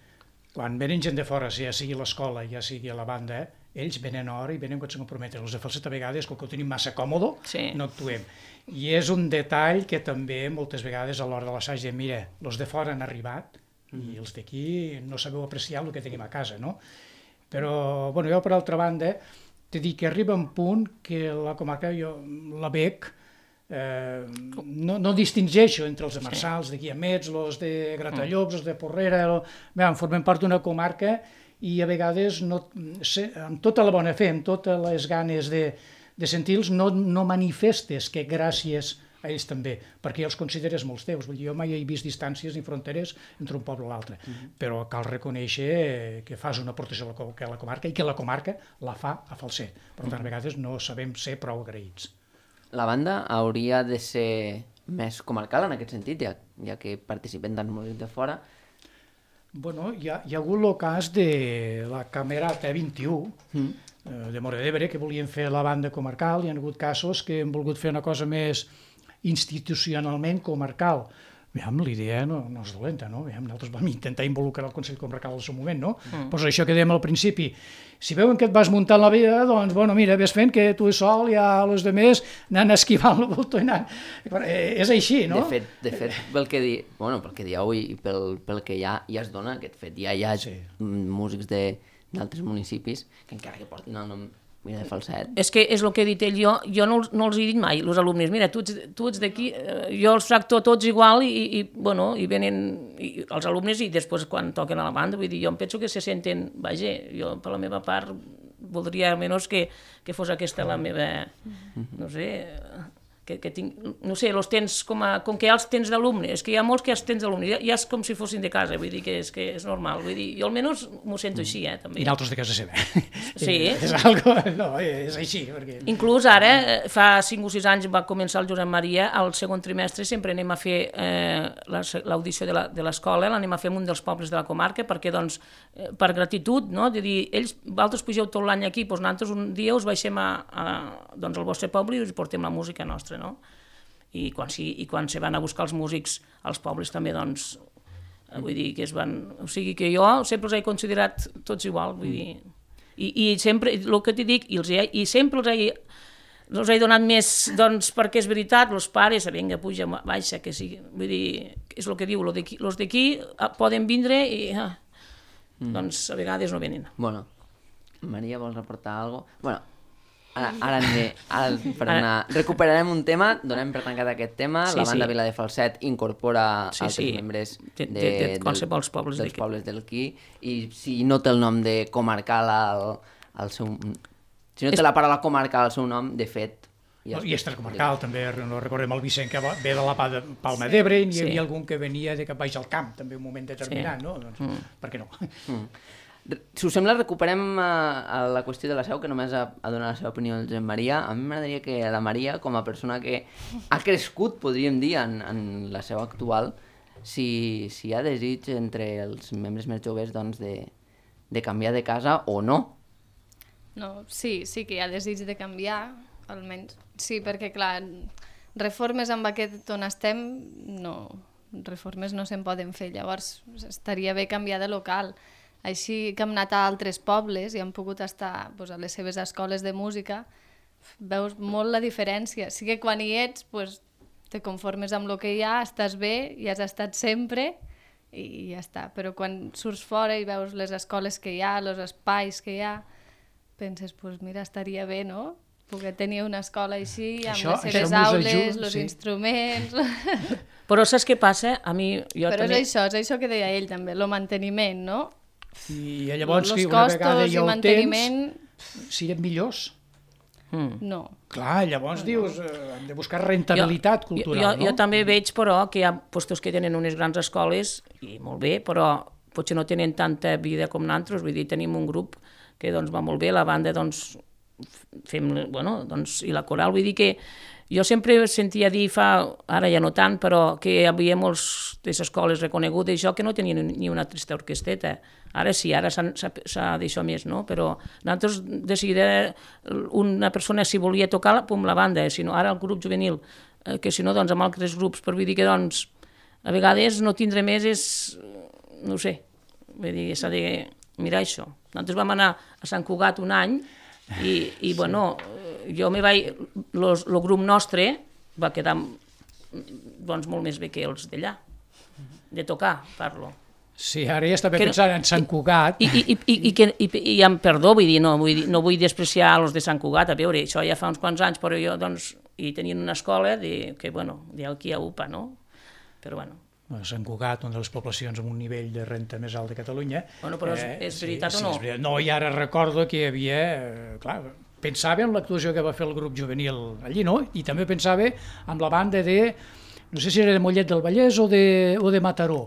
Quan venen gent de fora, ja sigui l'escola, ja sigui la banda, eh, ells venen a hora i venen quan se comprometen. Els de Falset a vegades, com que ho tenim massa còmode, Sí. no actuem. I és un detall que també moltes vegades a l'hora de l'assaig diem, mira, els de fora han arribat i els d'aquí no sabeu apreciar el que tenim a casa, no? Però, bueno, jo per altra banda, t'he dit que arriba un punt que la comarca, jo la veig eh, no, no distingeixo entre els de Marçals, de Guiamets, els de Gratallops, els de Porrera, el... Bé, formem part d'una comarca i a vegades, no, amb tota la bona fe, amb totes les ganes de, de sentir-los, no, no manifestes que gràcies a ells també, perquè els consideres molts teus. Vull dir, jo mai he vist distàncies ni fronteres entre un poble i l'altre, mm-hmm. però cal reconèixer que fas una aportació a la, a la comarca i que la comarca la fa a Falset. Per tant, a vegades no sabem ser prou agraïts. La banda hauria de ser més comarcal en aquest sentit, ja, ja que participen tant músics de fora. Bueno, hi ha, hi ha hagut el cas de la Camerata vint-i-u, mm. eh, de Móra d'Ebre, que volien fer la banda comarcal. Hi ha hagut casos que han volgut fer una cosa més institucionalment comarcal. Veiem, l'idea no, no és dolenta, no? Veiem, nosaltres vam intentar involucrar el Consell Comarcal al seu moment, no? Mm. Pues això que dèiem al principi, si veuen que et vas muntant la vida, doncs, bueno, mira, ves fent que tu sol i a els altres anant esquivant el voltor i anant... Eh, és així, no? De fet, de fet pel que di... bueno, pel que dieu i pel, pel que ja, ja es dona aquest fet, ja hi ha sí. músics d'altres municipis que encara que portin el nom mira, de Falset. És que és el que he dit ell, jo, jo no, no els he dit mai, els alumnes, mira, tu ets, tu ets d'aquí, jo els tracto tots igual i, i, bueno, i venen i, els alumnes i després quan toquen a la banda, vull dir, jo em penso que se senten, vaja, jo per la meva part voldria almenys que, que fos aquesta la meva, no sé... Que, que tinc, no sé, els tens com, a, com que ja els tens d'alumnes, és que hi ha molts que els tens d'alumnes, ja, ja és com si fossin de casa, vull dir que és, que és normal, vull dir, jo almenys m'ho sento així, eh, també. I d'altres de casa seva. Sí. és algo, no, és així. Perquè... Inclús ara, fa cinc o sis anys va començar el Josep Maria, al segon trimestre sempre anem a fer eh, l'audició de l'escola, l'anem a fer en un dels pobles de la comarca, perquè, doncs, eh, per gratitud, no?, de dir, ells, vosaltres pugeu tot l'any aquí, doncs nosaltres un dia us baixem a, a, doncs, al vostre poble i us portem la música nostra, no? I quan, sí, i quan se van a buscar els músics als pobles també, doncs, vull dir que es van... O sigui que jo sempre els he considerat tots igual, vull dir... I, i sempre, el que t'hi dic, i, els he, i sempre els he, els he donat més, doncs, perquè és veritat, els pares, vinga, puja, baixa, que sigui... Vull dir, és el que diu, els d'aquí poden vindre i... Ah, mm. Doncs a vegades no venen. Bueno, Maria, vols aportar alguna cosa? Bueno, Ara, ara, de, ara per anar, recuperarem un tema, donem per tancat aquest tema, sí, la banda sí. Vila de Falset incorpora sí, altres sí. membres de, de, de, de qualsevol pobles dels pobles del Qui, i si no té el nom de comarcal al, al seu... Si no té la paraula comarcal al seu nom, de fet... Ja I extracomarcal, també, no recordem el Vicent que ve de la Palma d'Ebre, i hi havia sí. algun que venia de cap baix al camp, també un moment determinat, sí. no? Doncs, mm. per què no? Mm. Si us sembla, recuperem uh, la qüestió de la Seu, que només ha, ha donat la seva opinió el Josep Maria. A mi m'agradaria que la Maria, com a persona que ha crescut, podríem dir, en, en la Seu actual, si, si hi ha desig entre els membres més joves doncs, de, de canviar de casa o no. No, sí, sí que hi ha desig de canviar, almenys. Sí, perquè, clar, reformes amb aquest on estem, no, reformes no se'n poden fer. Llavors, estaria bé canviar de local. Així que hem anat a altres pobles i hem pogut estar doncs, a les seves escoles de música, veus molt la diferència. Sí que quan hi ets doncs, te conformes amb el que hi ha, estàs bé, hi has estat sempre i ja està. Però quan surts fora i veus les escoles que hi ha, els espais que hi ha, penses, doncs mira, estaria bé, no?, poder tenir una escola així, amb això, les seves aules, els sí. instruments... Però saps què passa? A mi... Jo Però també... és això, és això que deia ell també, el manteniment, no? I llavors, que una vegada ja ho tens, siguem millors? Mm. No. Clar, llavors no. dius, eh, hem de buscar rentabilitat jo, cultural, jo, no? Jo també veig, però, que hi ha postos que tenen unes grans escoles, i molt bé, però potser no tenen tanta vida com nosaltres, vull dir, tenim un grup que doncs, va molt bé, la banda, doncs, fem, bueno, doncs, i la coral, vull dir que jo sempre sentia dir, fa, ara ja no tant, però que hi havia molts de les escoles reconegudes, això que no tenien ni una trista orquesteta. Ara sí, ara s'ha d'això més, no? Però nosaltres de seguida una persona si volia tocar, pum, la banda, si no, ara el grup juvenil, eh, que si no, doncs amb altres grups, per vull dir que doncs a vegades no tindre més és, no ho sé, vull dir, s'ha de mirar això. Nosaltres vam anar a Sant Cugat un any i, i sí. bueno, jo me vaig, el grup nostre va quedar doncs, molt més bé que els d'allà, de tocar, parlo. Sí, ara ja estava pensant en Sant Cugat. I, i, i, i, i, i, i amb perdó, vull dir, no vull, dir, no vull despreciar els de Sant Cugat, a veure, això ja fa uns quants anys, però jo, doncs, i tenien una escola de, que, bueno, d'aquí a UPA, no? Però, bueno... Sant Cugat, una de les poblacions amb un nivell de renta més alt de Catalunya. Bueno, però és, eh, és veritat sí, o no? Sí, no, i ara recordo que hi havia... Eh, clar, pensava en l'actuació que va fer el grup juvenil allí, no? I també pensava en la banda de... No sé si era de Mollet del Vallès o de, o de Mataró,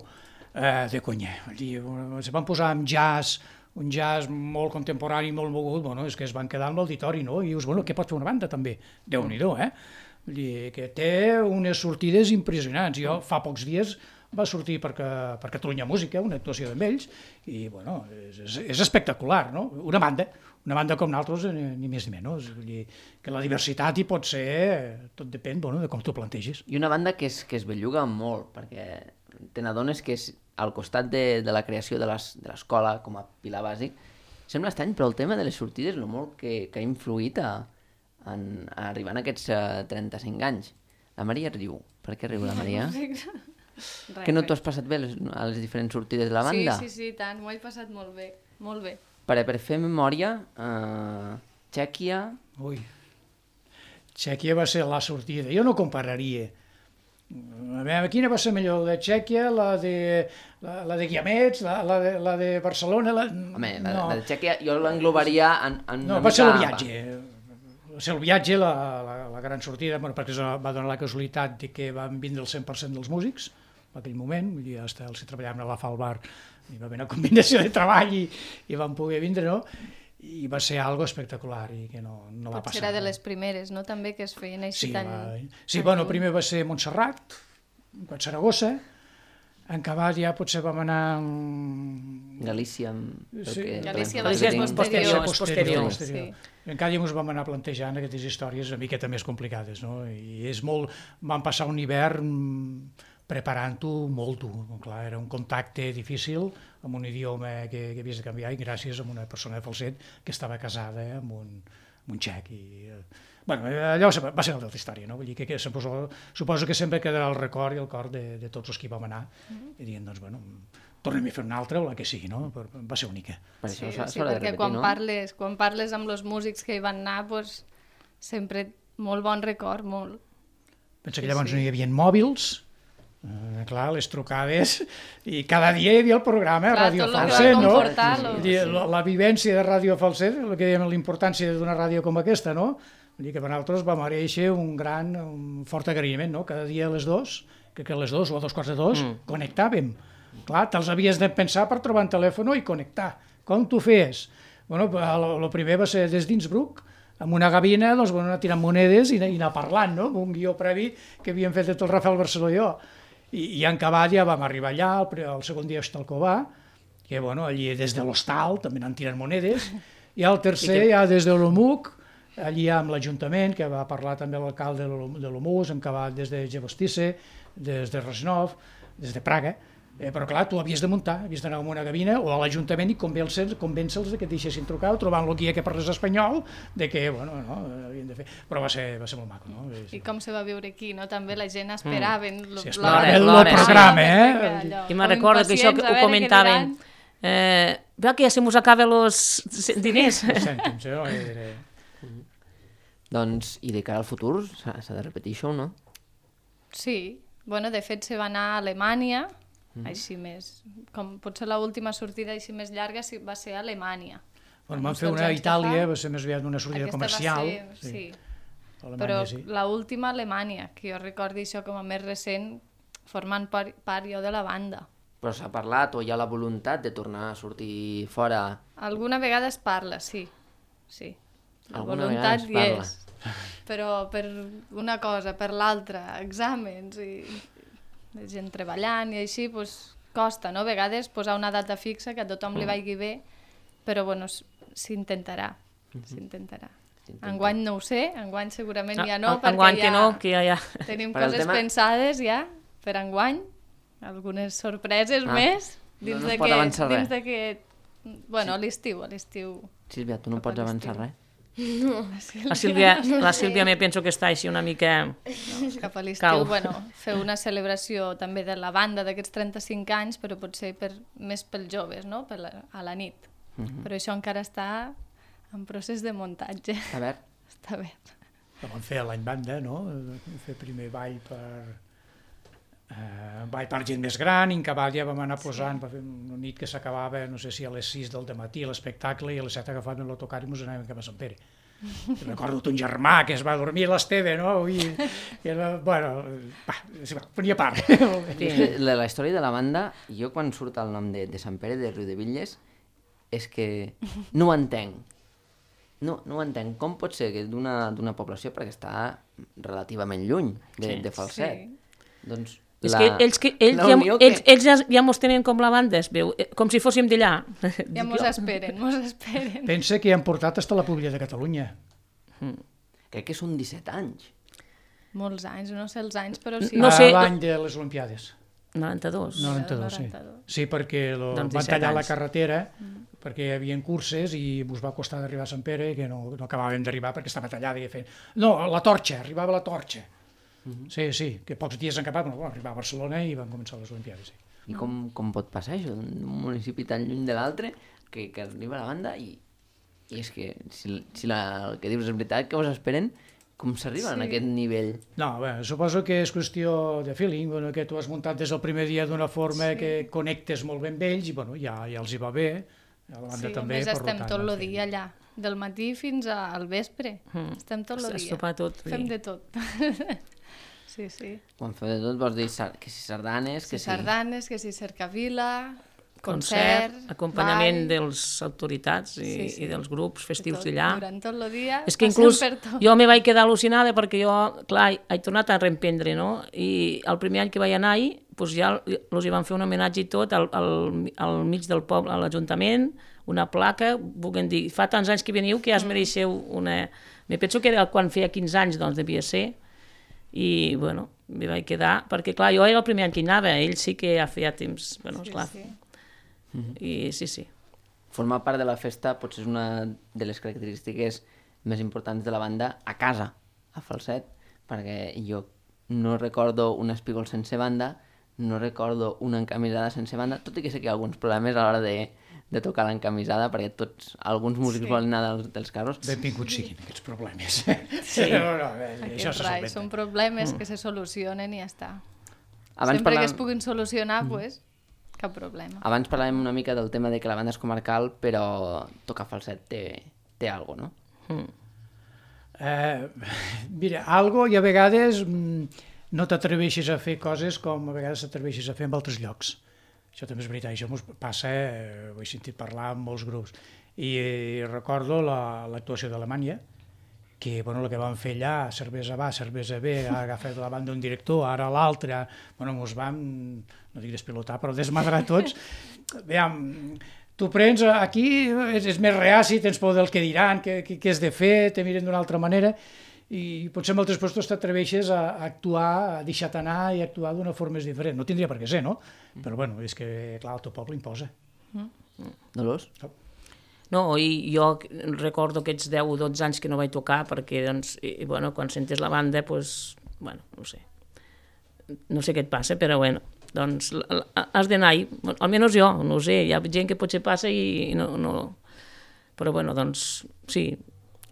eh, de Cunyer. Allí es van posar amb jazz, un jazz molt contemporani, molt mogut, bueno, és que es van quedar en l'auditori, no? I dius, bueno, què pot fer una banda també? Déu-n'hi-do, eh? Vull dir que té unes sortides impressionants. Jo fa pocs dies va sortir per, per Catalunya Música, una actuació d'ells, i bueno, és, és, és espectacular, no? Una banda, una banda com nosaltres, ni, ni més ni menys. Vull dir que la diversitat hi pot ser, tot depèn, bueno, de com t'ho plantegis. I una banda que es, que es belluga molt, perquè te n'adones que és al costat de, de la creació de l'escola com a pilar bàsic. Sembla estrany, però el tema de les sortides, el molt que, que ha influït a, en, a arribar a aquests uh, trenta-cinc anys. La Maria riu. Per què riu la Maria? Res, que no t'ho res. has passat bé les, a les diferents sortides de la banda? Sí, sí, sí, tant, m'ho he passat molt bé, molt bé. Per, per fer memòria, uh, Txèquia... Ui, Txèquia va ser la sortida. Jo no compararia. A veure, quina va ser millor, la de Txèquia, la de, la, la de Guiamets, la, la, de, la de Barcelona... La... Home, la, no. la de Txèquia jo l'englobaria en, en No, una va ser el mica- viatge. Va ser el viatge, la, la, la gran sortida, bueno, perquè es va donar la casualitat de que van vindre el cent per cent dels músics en aquell moment, vull dir, hasta els que treballaven a la Falbar, hi va haver una combinació de treball i, i van poder vindre, no? I va ser algo espectacular i que no, no va Potser passar. era de les primeres, no?, també, que es feien així Sí, tan... va... sí bueno, primer va ser Montserrat, quan Saragossa, en acabat ja potser vam anar... amb- Galícia... Sí. Galícia va va ser ser posterior, posterior. és posterior. posterior. Encara ens vam anar plantejant aquestes històries una miqueta més complicades, no? I és molt... Vam passar un hivern preparant-ho molt dur. Clar, era un contacte difícil amb un idioma que, que havies de canviar i gràcies a una persona de Falset que estava casada amb un, amb un txec. I, eh, bueno, allò va ser una altra història, no? Vull dir que, que suposo, suposo que sempre quedarà el record i el cor de, de tots els que hi vam anar Mm-hmm. i dient, doncs, bueno, tornem a fer una altra o la que sigui, no? Però va ser única. Per Sí, això s'ha sí, s'ha de perquè repetir, quan, no? parles, quan parles amb els músics que hi van anar, pues, sempre molt bon record, molt. Pensa Sí, que llavors sí. no hi havia mòbils, eh, clar, les trucades, i cada dia hi havia el programa Clar, Ràdio tot el que va Falset, no? comportar, Vull lo- dir, la, la vivència de Ràdio Falset, el que dèiem, la importància d'una ràdio com aquesta, no? Vull dir que per nosaltres va mereixer un gran, un fort agraïment, no? Cada dia a les dos, que, que a les dos o a dos quarts de dos, mm. connectàvem. Clar, te'ls havies de pensar per trobar un telèfon i connectar. Com t'ho feies? Bueno, el primer va ser des d'Innsbruck, amb una gavina, doncs, bueno, anar tirant monedes i, i anar parlant, no? Amb un guió previ que havíem fet de tot el Rafael Barceló i jo. I, i en acabat ja vam arribar allà, el, el segon dia a Estalcovà, que bueno, allí des de l'hostal també anant tirant monedes, i el tercer I que... ja des de l'Omuc, allí amb l'Ajuntament, que va parlar també l'alcalde de l'Omus, hem acabat des de Gevostisse, des de Resnov, des de Praga, eh, però clar, tu havies de muntar, havies d'anar a una gavina o a l'Ajuntament i convèncer-los convèncer que et deixessin trucar o trobant el guia que parles espanyol, de que, bueno, no, havien de fer... Però va ser, va ser molt maco, no? I com se va viure aquí, no? També la gent esperaven... Mm. Sí, esperaven el, el l'hora, programa, sí. eh? I me'n recordo que això que ho comentaven. Eh, veu que ja se mos acaben els diners. Els cèntims, eh? Era... Doncs, i de cara al futur, s'ha s'ha de repetir això o no? Sí, bueno, de fet se va anar a Alemanya, mm. així més, com potser l'última sortida així més llarga sí, va ser a Alemanya. Bueno, van Uns fer dotze una a anys que Itàlia, fa. va ser més aviat una sortida Aquesta comercial. va ser, sí. Alemanya, Però sí. l'última a Alemanya, que jo recordi això com a més recent, formant part, part jo de la banda. Però s'ha parlat o hi ha la voluntat de tornar a sortir fora? Alguna vegada es parla, sí, sí. La Alguna vegada voluntat es hi parla. és, però per una cosa, per l'altra, exàmens i la gent treballant i així, doncs, costa, no? A vegades posar una data fixa que a tothom li vagi bé, però bueno, s- s'intentarà, s'intentarà. Enguany no ho sé, enguany segurament ja no, perquè Enguany ja que no, que ja... ja... tenim Per al coses tema- pensades ja per enguany, algunes sorpreses Ah, més, no- dins no es de pot que, avançar res. dins de que, bueno, a l'estiu, a l'estiu. Sílvia, tu no Cap a pots avançar l'estiu. res? La Sílvia, la Sílvia me penso que està així una mica... Cap a Cau. l'estiu, bueno, fer una celebració també de la banda d'aquests trenta-cinc anys, però potser per, més pels joves, no? Per la, a la nit. Però això encara està en procés de muntatge. A veure, Està bé. la vam fer l'any banda, no? Fer primer ball per... Uh, ball per gent més gran, i en cabal ja vam anar posant, sí. Va fer una nit que s'acabava, no sé si a les sis del matí l'espectacle, i a les set agafàvem l'autocar i ens anàvem cap a Sant Pere. I recordo ton germà que es va dormir a l'Esteve, no? I, i era, bueno, va, ponia part. Sí, la, la història de la banda, jo quan surt el nom de, de Sant Pere de Riudebitlles, és que no ho entenc. No, no ho entenc. Com pot ser que d'una d'una població, perquè està relativament lluny de, sí, de Falset, sí. Doncs és la, que ells, que, ells, ja, que... ells, ells ja, ja mos tenen com la banda, es veu, com si fóssim d'allà. Ja mos esperen, mos esperen. Pensa que han portat fins a la Pública de Catalunya. Mm. Crec que són disset anys. Molts anys, no sé els anys, però sí. No sé... L'any de les Olimpiades. noranta-dos. noranta-dos, sí. Sí, perquè lo, doncs van tallar anys. La carretera, mm. perquè hi havia curses i us va costar d'arribar a Sant Pere, que no, no acabàvem d'arribar perquè estava tallada i fent... No, la torxa, arribava la torxa. Uh-huh. Sí, sí, que pocs dies han acabat, bueno, arribar a Barcelona i van començar les Olimpiades. Sí. I com, com pot passar això, d'un municipi tan lluny de l'altre, que, que arriba a la banda i, i és que si, si la, el que dius és veritat, que us esperen, com s'arriba sí. a aquest nivell? No, bé, suposo que és qüestió de feeling, bueno, que tu has muntat des del primer dia d'una forma sí. que connectes molt bé amb ells i bueno, ja, ja els hi va bé, a la banda sí, també. Sí, a més estem tot el dia allà, del matí fins al vespre, mm. estem tot el dia, tot, fem de tot. Sí, sí. Quan feu de tot vols dir que si sardanes, que si... sardanes, que si cercavila, concert, concert acompanyament ball. De les autoritats i, sí, sí. i dels grups festius d'allà. Durant tot el dia, és que inclús jo me vaig quedar al·lucinada perquè jo, clar, he tornat a reemprendre, no? I el primer any que vaig anar-hi, doncs ja els hi van fer un homenatge i tot al, al, al mig del poble, a l'Ajuntament, una placa, vulguem dir, fa tants anys que veniu que ja es mereixeu una... Me penso que era quan feia quinze anys, doncs devia ser, i, bueno, m'hi vaig quedar, perquè, clar, jo era el primer any que hi anava, ell sí que ja feia temps, bueno, esclar. Sí, sí. I sí, sí. Formar part de la festa potser és una de les característiques més importants de la banda a casa, a Falset, perquè jo no recordo un espígol sense banda, no recordo una encamisada sense banda, tot i que sé que hi ha alguns problemes a l'hora de, de tocar l'encamisada, perquè tots, alguns músics sí. volen anar dels, dels carros. Benvinguts siguin aquests problemes. Sí. No, no, bé, Aquests això rai, són problemes mm. que se solucionen i ja està. Abans Sempre parlàvem... que es puguin solucionar, mm. pues, cap problema. Abans parlàvem una mica del tema de que la banda és comarcal, però tocar falset té, té algo, no? Mm. Eh, mira, algo i a vegades mm, no t'atreveixes a fer coses com a vegades t'atreveixes a fer en altres llocs. Això també és veritat, això ens passa, eh, ho he sentit parlar amb molts grups. I eh, recordo l'actuació la, d'Alemanya, que bueno, el que van fer allà, cervesa va, cervesa ve, ha agafat la banda un director, ara l'altre, bueno, ens vam, no dic despilotar, però desmadrar tots. Veiem, tu prens aquí, és, és més reaci, tens por del que diran, què has de fer, te miren d'una altra manera, i potser en altres llocs t'atreveixes a actuar, a deixar-te anar i actuar d'una forma diferent. No tindria per què ser, no? Però bueno, és que, clar, el teu poble imposa. Mm. Dolors? No, i jo recordo aquests deu o dotze anys que no vaig tocar perquè, doncs, i, bueno, quan sentes la banda, doncs, bueno, no sé. No sé què et passa, però bueno, doncs has d'anar-hi, almenys jo, no ho sé, hi ha gent que potser passa i no... no... Però bueno, doncs, sí,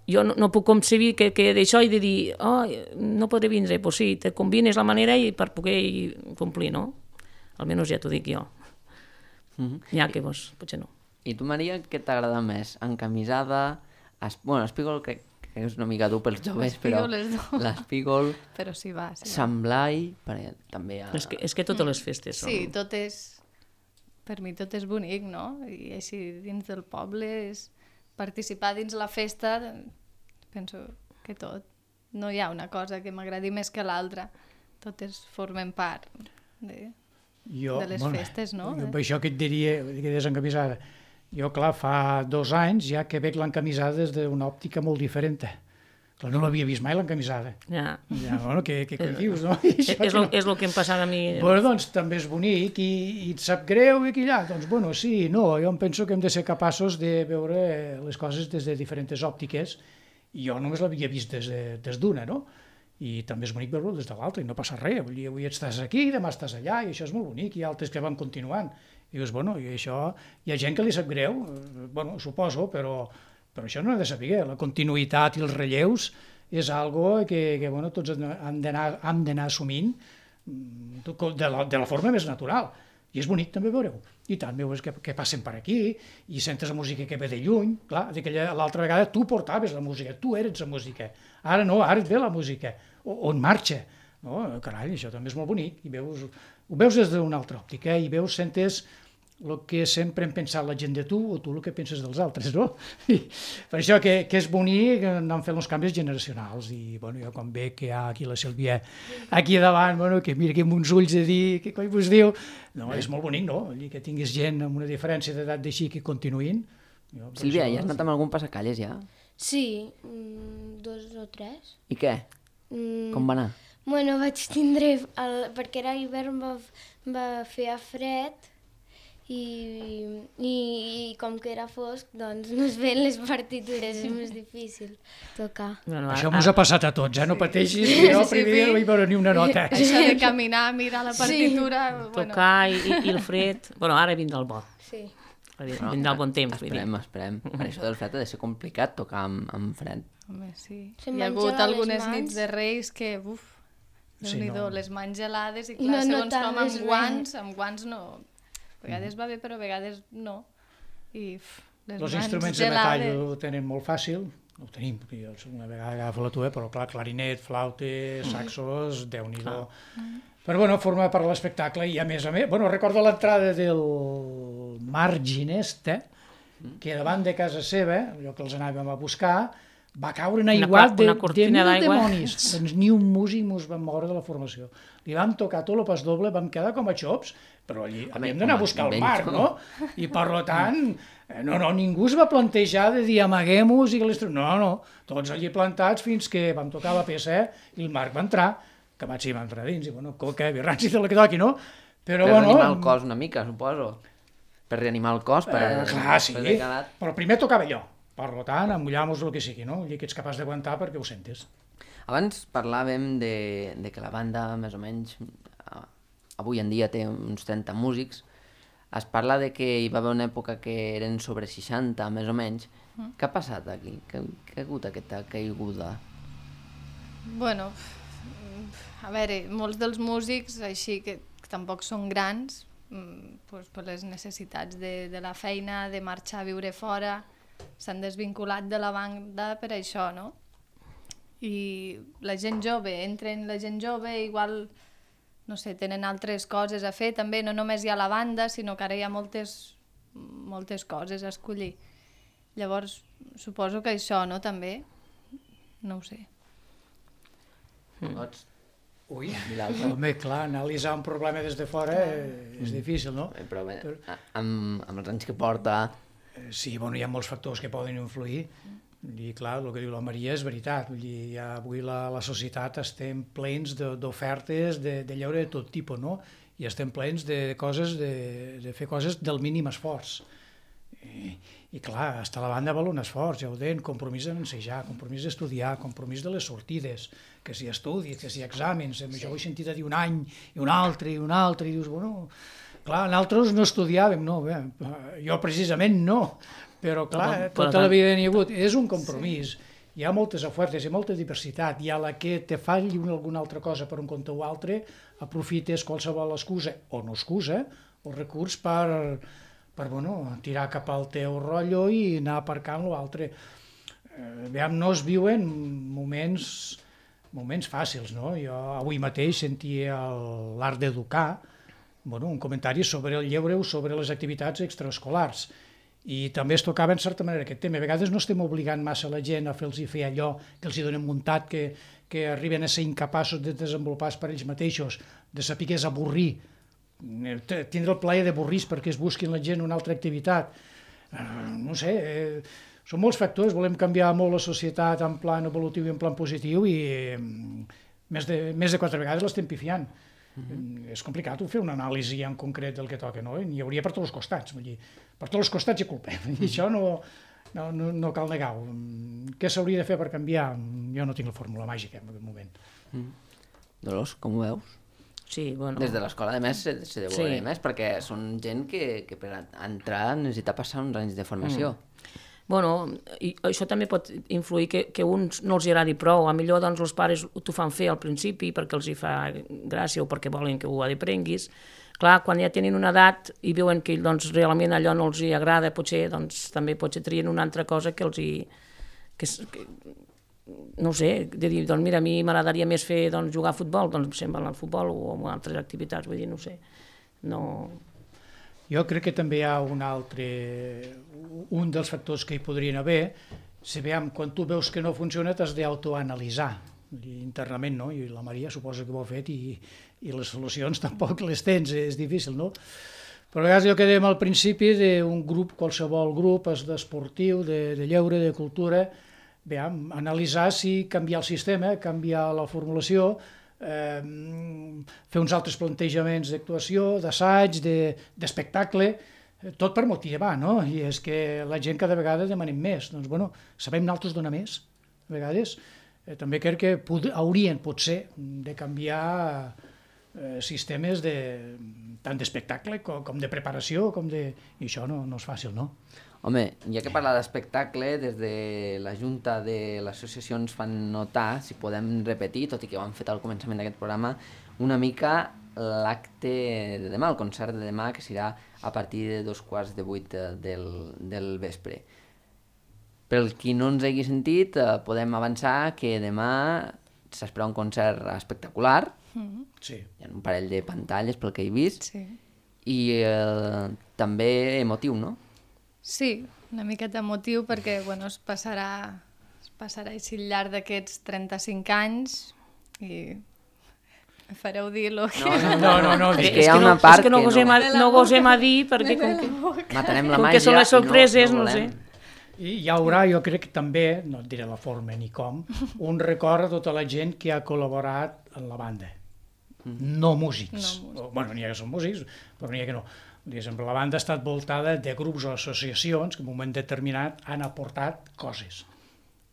jo no, no puc concebir que, que d'això he de dir oh, no podré vindre, doncs sí, te combines la manera i per poder complir, no? Almenys ja t'ho dic jo. Mm-hmm. Ja que vos, potser no. I tu, Maria, què t'agrada més? Encamisada? Es... Bueno, l'espígol crec que és una mica dur pels joves, però l'espígol... Però sí va, sí va. Sant Blai, perquè també... Ha... És, que, és que totes les festes són... Sí, tot és... Per mi tot és bonic, no? I així dins del poble és... Participar dins la festa, penso que tot. No hi ha una cosa que m'agradi més que l'altra. Totes formen part de, jo, de les bueno, festes, no? Jo, això que et diria, que desencamisada. Jo, clar, fa dos anys ja que veig l'encamisada des d'una òptica molt diferent. Clar, no l'havia vist mai l'encamisada. Ja. Ja, bueno, què, què és, dius, no? És, és, lo, no... és el que em passa a mi. Bueno, doncs també és bonic i, i et sap greu i aquí allà. Doncs bueno, sí, no, jo em penso que hem de ser capaços de veure les coses des de diferents òptiques i jo només l'havia vist des, de, des d'una, no? I també és bonic veure-ho des de l'altra i no passa res. Vull dir, avui estàs aquí, demà estàs allà i això és molt bonic. Hi ha altres que van continuant. I dius, bueno, i això... Hi ha gent que li sap greu, bueno, suposo, però, però això no ha de saber. La continuïtat i els relleus és algo que, que bueno, tots hem d'anar hem d'anar assumint de la, de la forma més natural. I és bonic també veure-ho. I tant, veus que, que passen per aquí i sentes la música que ve de lluny. Clar, l'altra vegada tu portaves la música, tu eres la música. Ara no, ara et ve la música. O, on marxa. No? Carai, això també és molt bonic. I veus, ho veus des d'una altra òptica i veus, sentes el que sempre hem pensat la gent de tu o tu el que penses dels altres, no? I per això que, que és bonic anar fent els canvis generacionals i bueno, jo quan veig que hi ha aquí la Sílvia aquí davant, bueno, que mira que amb uns ulls de dir què coi vos diu, no, és molt bonic, no? Que tinguis gent amb una diferència d'edat d'així que continuïn. Jo, Sílvia, això... ja has anat amb algun passacalles ja? Sí, mm, dos o tres. I què? Mm, Com va anar? Bueno, vaig tindre, el, perquè era hivern va, va fer fred i, i, i com que era fosc, doncs no es veien les partitures, és més difícil tocar. Bueno, Això a- mos ha passat a tots, eh? No pateixis, que jo el primer dia no vaig veure ni una nota. Això de caminar, mirar la partitura... Sí. Bueno, tocar i, i, i el fred... Bueno, ara vindrà el bo. Sí. Vindrà el bon temps, vull dir. Esperem, esperem. Per això del fred ha de ser complicat tocar amb, amb fred. home, sí. Se'm Hi ha van hagut gelar les algunes mans. nits de Reis que, uf, Sí, déu-n'hi-do, no. les mans gelades i I clar, no segons com notaves amb res. guants, amb guants no... A vegades va bé, però a vegades no. I uf, les Els mans instruments de metall gelades. ho tenen molt fàcil, ho tenim, perquè jo una vegada agafo la tua, però clar, clarinet, flautes, saxos, déu-n'hi-do. Però bueno, forma part de l'espectacle i a més a més, bueno, recordo l'entrada del Marginesta, que davant de casa seva, allò que els anàvem a buscar, va caure un Una aiguat cor- de, una de cortina mil d'aigua. demonis. Doncs ni un músic mos vam moure de la formació. Li vam tocar tot el pas doble, vam quedar com a xops, però allí Home, havíem d'anar a home, buscar el ben mar, tot. no? I per tant, eh, no, no, ningú es va plantejar de dir amaguem-nos i que les... No, no, tots allí plantats fins que vam tocar la peça i el Marc va entrar, que vaig sí, va entrar dins, i bueno, coca, birranci, de la que toqui, no? Però Per bueno... reanimar el cos una mica, suposo. Per reanimar el cos, per... Eh, clar, sí, per haver quedat- però primer tocava allò. Per tant, amullar-nos el que sigui, no? I que ets capaç d'aguantar perquè ho sentes. Abans parlàvem de, de que la banda, més o menys, a- avui en dia té uns trenta músics. Es parla de que hi va haver una època que eren sobre seixanta, més o menys. Mm. Què ha passat aquí? Què, què ha hagut aquesta caiguda? Bueno, a veure, molts dels músics, així que, que tampoc són grans, mm, pues, per les necessitats de, de la feina, de marxar a viure fora, s'han desvinculat de la banda per això, no? I la gent jove, entren la gent jove, igual, no sé, tenen altres coses a fer, també no només hi ha la banda, sinó que ara hi ha moltes, moltes coses a escollir. Llavors, suposo que això, no, també? No ho sé. Mm. Pots Ui, dir l'altre? home, clar, analitzar un problema des de fora eh, és difícil, no? Eh, Però bé, a- amb, amb els anys que porta... Eh, Sí, bueno, hi ha molts factors que poden influir i clar, el que diu la Maria és veritat, vull dir, ja avui la, la societat estem plens de- d'ofertes de, de lleure de tot tipus, no? I estem plens de coses, de, de fer coses del mínim esforç. I, i clar, estar a la banda val un esforç, ja ho deien, compromís d'ensejar, compromís d'estudiar, compromís de les sortides, que si estudis, que si exàmens, sí. Jo ho he sentit a dir un any, i un altre, i un altre, i dius, bueno, clar, nosaltres no estudiàvem, no, bé, jo precisament no, però clar, Però- però tota la tant- vida n'hi ha hagut, és un compromís, sí. Hi ha moltes ofertes, hi ha molta diversitat, i a la que te falli una, alguna altra cosa per un compte o altre, aprofites qualsevol excusa, o no excusa, o recurs per, per bueno, tirar cap al teu rotllo i anar aparcant l'altre. Eh, aviam, no es viuen moments, moments fàcils, no? Jo avui mateix sentia el- l'art d'educar, bueno, un comentari sobre el lleure o sobre les activitats extraescolars. I també es tocava, en certa manera, aquest tema. A vegades no estem obligant massa la gent a fer-los fer allò que els hi donem muntat, que, que arriben a ser incapaços de desenvolupar per ells mateixos, de saber què és avorrir, T- tindre el plaer d'avorrir perquè es busquin la gent una altra activitat. Eh, no sé, eh, són molts factors, volem canviar molt la societat en plan evolutiu i en plan positiu i eh, més, de, més de quatre vegades l'estem pifiant. Mm-hmm. És complicat fer una anàlisi en concret del que toca, no? N'hi hauria per tots els costats, vull dir, per tots els costats hi ha culpa, i això no, no, no, no cal negar-ho. Què s'hauria de fer per canviar? Jo no tinc la fórmula màgica en aquest moment. Dolors, com ho veus? Sí, bueno... Des de l'escola, a més, se, se deu Sí. veure més, perquè són gent que, que per entrar necessita passar uns anys de formació. Bueno, i això també pot influir que, que uns no els hi agradi prou. A millor doncs, els pares t'ho fan fer al principi perquè els hi fa gràcia o perquè volen que ho aprenguis. Clar, quan ja tenen una edat i veuen que doncs, realment allò no els hi agrada, potser doncs, també potser trien una altra cosa que els hi... Que, que, no ho sé, de dir, doncs mira, a mi m'agradaria més fer doncs, jugar a futbol, doncs se'n van al futbol o a altres activitats, vull dir, no ho sé. No... Jo crec que també hi ha un altre, un dels factors que hi podrien haver, si veiem, quan tu veus que no funciona t'has d'autoanalitzar internament, no? I la Maria suposa que ho ha fet i, i les solucions tampoc les tens, és difícil, no? Però a vegades allò que dèiem al principi d'un grup, qualsevol grup d'esportiu, de, de lleure, de cultura, veiem, analitzar si canviar el sistema, canviar la formulació, Eh, fer uns altres plantejaments d'actuació, d'assaig, d'espectacle, de, tot per motivar, no? I és que la gent cada vegada demanem més. Doncs, bueno, sabem nosaltres donar més, a vegades. Eh, també crec que pod haurien, potser, de canviar eh, sistemes de, tant d'espectacle com, com de preparació, com de... i això no, no és fàcil, no? Home, ja que parla d'espectacle, des de la Junta de l'Associació ens fan notar, si podem repetir, tot i que ho han fet al començament d'aquest programa, una mica l'acte de demà, el concert de demà, que serà a partir de dos quarts de vuit del, del vespre. Pel qui no ens hagi sentit, eh, podem avançar que demà s'espera un concert espectacular, Mm-hmm. Sí. hi ha un parell de pantalles pel que he vist, Sí. i eh, també emotiu, no? Sí, una miqueta emotiu perquè bueno, es passarà, es passarà així al llarg d'aquests trenta-cinc anys i me fareu dir lo que... No, no, no. És És que hi ha no, una part és que no que gosem, no... a, no gosem a dir perquè com que, Matarem la com màgia que són les i no- sorpreses, no, no no sé. volem. I hi haurà, jo crec que també, no et diré la forma ni com, un record a tota la gent que ha col·laborat en la banda. No músics. No músics. O, bueno, n'hi ha que són músics, però n'hi ha que no. Diguéssim, la banda ha estat voltada de grups o associacions que en un moment determinat han aportat coses.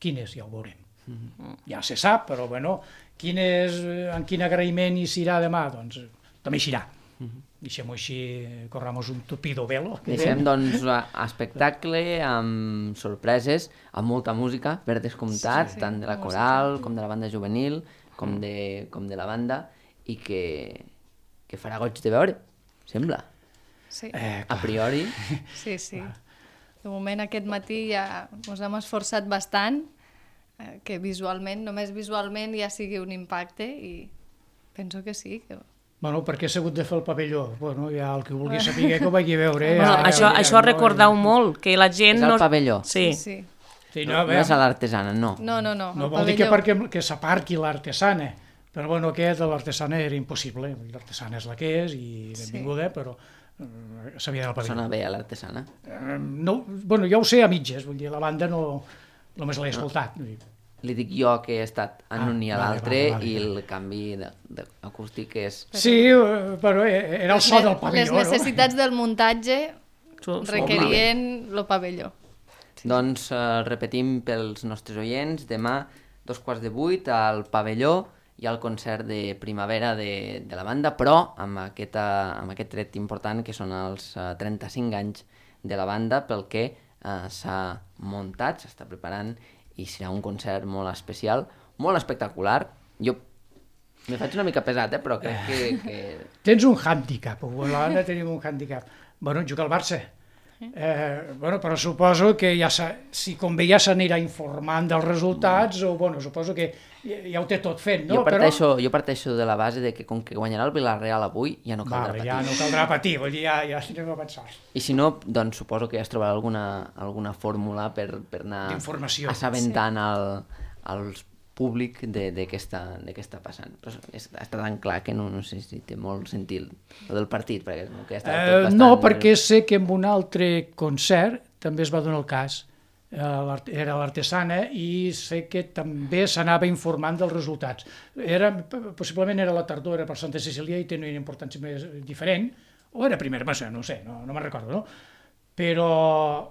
Quines, ja ho veurem. Mm-hmm. Ja se sap, però bueno, quines, en quin agraïment hi serà demà? Doncs també hi serà. Mm-hmm. Deixem-ho així, corramos un tupido velo. Deixem, doncs, a espectacle, amb sorpreses, amb molta música, per descomptat, Sí, sí, tant de la música. coral, com de la banda juvenil, com de, com de la banda, i que, que farà goig de veure, sembla. Sí, Eh, A priori, sí, sí. De moment aquest matí ja ens hem esforçat bastant eh, que visualment, només visualment ja sigui un impacte i penso que sí. Que... Bueno, perquè s'ha hagut de fer el pavelló. Bueno, ja el que vulgui saber que ho vagi a veure. Eh? Bueno, Ja, això, ja, això no, recordeu molt, que la gent... és el no... pavelló. Sí. sí. Sí, No, no, no bé, és a l'artesana, no. No, no, no. no el vol dir que pavelló. perquè que s'aparqui l'artesana, però bueno, aquest de l'artesana era impossible. L'artesana és la que és i benvinguda, però eh, s'havia d'anar al pavelló. Sona bé a l'artesana. Eh, no, bueno, jo ho sé a mitges, vull dir, la banda no, només l'he escoltat. Vull dir, Li dic jo que he estat en Ah, un i a vale, l'altre vale, vale. i el canvi de- de- acústic és... sí, eh, però eh, era el so del Les pavelló, necessitats del muntatge Su- su- requerien el pavelló. Doncs eh, repetim pels nostres oients, demà dos quarts de vuit al pavelló hi ha el concert de primavera de, de la banda, però amb, aquesta, amb aquest tret important que són els eh, trenta-cinc anys de la banda pel que eh, s'ha muntat, s'està preparant i serà un concert molt especial, molt espectacular. Jo me faig una mica pesat, eh, però crec que... que... Tens un hàndicap, a la banda tenim un hàndicap. Bueno, juga al Barça. Eh, bueno, però suposo que ja si convé ja s'anirà informant dels resultats, o bueno, suposo que ja, ja ho té tot fet, no? Jo parteixo, jo parteixo de la base de que com que guanyarà el Villarreal avui, ja no Però, caldrà vale, patir. ja no caldrà patir, vull dir, ja, ja anem a pensar. I si no, doncs suposo que ja es trobarà alguna, alguna fórmula per, per anar D'informació. assabentant el, el públic de, de, què està, de què està passant. Però és, està tan clar que no, no sé si té molt sentit el del partit, perquè com que ja està tot Eh, bastant... no, perquè sé que en un altre concert també es va donar el cas. Eh, l'art- era l'artesana i sé que també s'anava informant dels resultats. Era, possiblement era la tardor, era per Santa Cecília i tenia una importància més diferent, o era primera, no sé, no sé, no, no me'n recordo, no? Però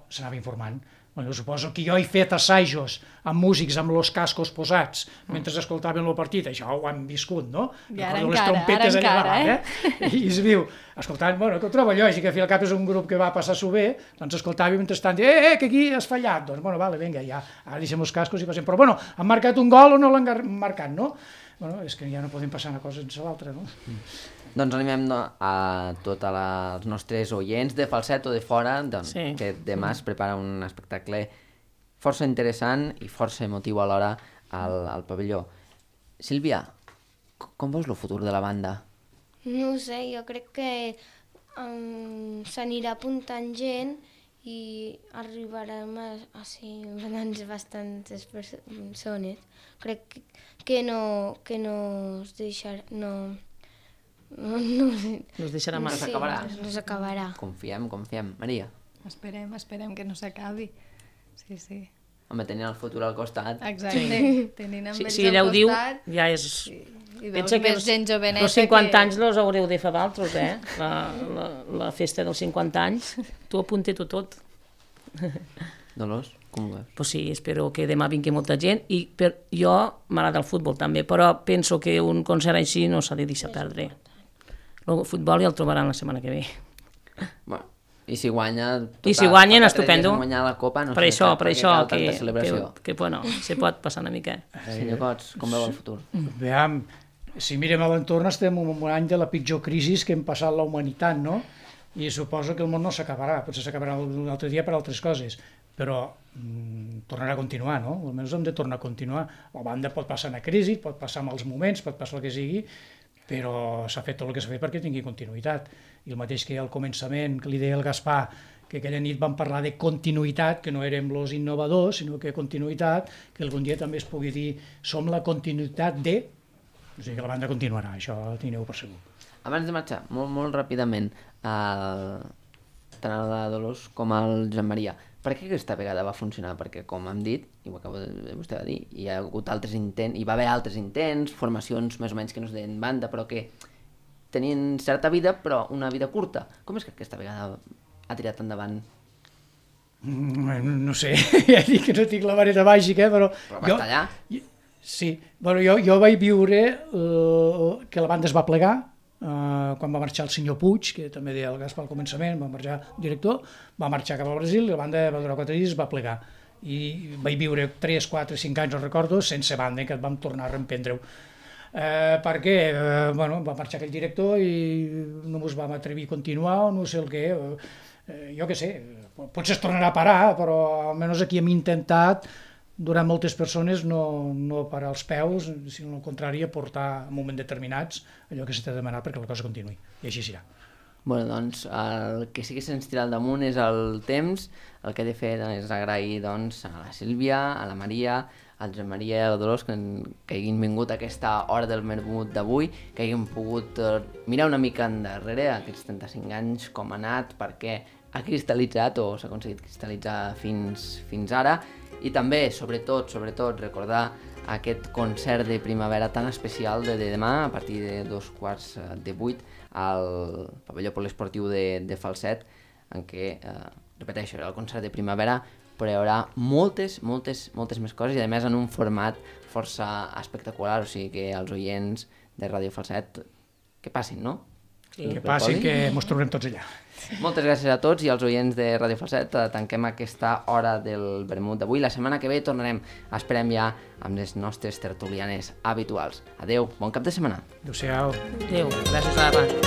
s'anava informant. Bueno, suposo que jo he fet assajos amb músics amb els cascos posats mentre escoltaven el partit, això ho han viscut, no? I ara Recordo les encara, trompetes ara allà encara, davant, I es viu, escoltant, bueno, que ho trobo lògic, al fi al cap és un grup que va passar-s'ho bé, doncs escoltàvem mentrestant, eh, eh, que aquí has fallat, doncs, bueno, vale, vinga, ja, ara deixem els cascos i passem, però bueno, han marcat un gol o no l'han marcat, no? Bueno, és que ja no podem passar una cosa sense l'altra, no? Doncs animem no, a tots els nostres oients de Falset o de fora doncs, Sí. que demà es prepara un espectacle força interessant i força emotiu alhora al, al pavelló. Sílvia, com veus el futur de la banda? No ho sé, jo crec que um, s'anirà apuntant gent i arribarem a, a ser doncs, bastantes persones. Crec que, que no que no es deixarà... No, no, no, No es deixarà mal. sí, s'acabarà. no s'acabarà. Confiem, confiem. Maria, Esperem, esperem que no s'acabi. Sí, sí. home, tenint el futur al costat... Exacte. Tenint amb Si, ells si ella al ho diu, costat, ja és... i, i veus Pensa que més els, gent joveneta els cinquanta que... anys los haureu de fer d'altres, eh? La, la, la festa dels cinquanta anys, tu apunta-t'ho tot. Dolors, com ho veus? Pues sí, espero que demà vingui molta gent i per, jo m'agrada el futbol també, però penso que un concert així no s'ha de deixar perdre. El futbol ja el trobaran la setmana que ve. Bueno, i si guanya... I si guanyen, fa tres estupendo. dies han guanyat la Copa, no Per sé això, per per què això cal que, tanta que, celebració. que, bueno, se pot passar una mica. Senyor Cots, com veu el futur? Veiem, si mirem a l'entorn estem en un any de la pitjor crisi que hem passat la humanitat, no? I suposo que el món no s'acabarà, potser s'acabarà un altre dia per altres coses, però mm, tornarà a continuar, no? Almenys hem de tornar a continuar. La banda pot passar una crisi, pot passar mals moments, pot passar el que sigui, però s'ha fet tot el que s'ha fet perquè tingui continuïtat. I el mateix que al començament, que li deia el Gaspar, que aquella nit vam parlar de continuïtat, que no érem els innovadors, sinó que continuïtat, que algun dia també es pugui dir som la continuïtat de... O sigui que la banda continuarà, això tingueu per segur. Abans de marxar, molt, molt ràpidament, el... tant el de Dolors com el Josep Maria, per què aquesta vegada va funcionar? Perquè, com hem dit, i ho acabo de vostè va dir, hi ha hagut altres intents, hi va haver altres intents, formacions més o menys que no es deien banda, però que tenien certa vida, però una vida curta. Com és que aquesta vegada ha tirat endavant? Mm, No sé, ja dic que no tinc la vareta màgica, però... Però va estar allà. Sí, bueno, jo, jo vaig viure uh, que la banda es va plegar, uh, quan va marxar el senyor Puig, que també deia el Gaspar al començament, va marxar el director, va marxar cap al Brasil, la banda va durar quatre dies, es va plegar. I vaig viure tres, quatre, cinc anys, no recordo, sense banda, que vam tornar a reemprendre-ho. Eh, perquè eh, bueno, va marxar aquell director i no ens vam atrevir a continuar o no sé el què, eh, jo què sé, potser es tornarà a parar, però almenys aquí hem intentat durant moltes persones no, no parar els peus, sinó al contrari aportar en moments determinats allò que s'ha demanat perquè la cosa continuï, i així serà. Bueno, doncs, el que sí que se'ns tira al damunt és el temps. El que he de fer és agrair doncs, a la Sílvia, a la Maria, al Josep Maria i a la Dolors que, que hagin vingut a aquesta hora del vermut d'avui, que hagin pogut eh, mirar una mica endarrere aquests trenta-cinc anys, com ha anat, perquè ha cristal·litzat o s'ha aconseguit cristal·litzar fins, fins ara, i també, sobretot, sobretot, recordar aquest concert de primavera tan especial de, de demà, a partir de dos quarts de vuit, al pavelló poliesportiu de, de Falset, en què, eh, repeteixo, era el concert de primavera, però hi haurà moltes, moltes, moltes més coses, i a més en un format força espectacular, o sigui que els oients de Ràdio Falset que passin, no? Sí. Que passi, que ens trobem tots allà. Moltes gràcies a tots i als oients de Ràdio Falset. Tanquem aquesta hora del vermut d'avui. La setmana que ve tornarem, esperem ja, amb les nostres tertulianes habituals. Adeu, bon cap de setmana. Adéu-siau. Adéu, gràcies a la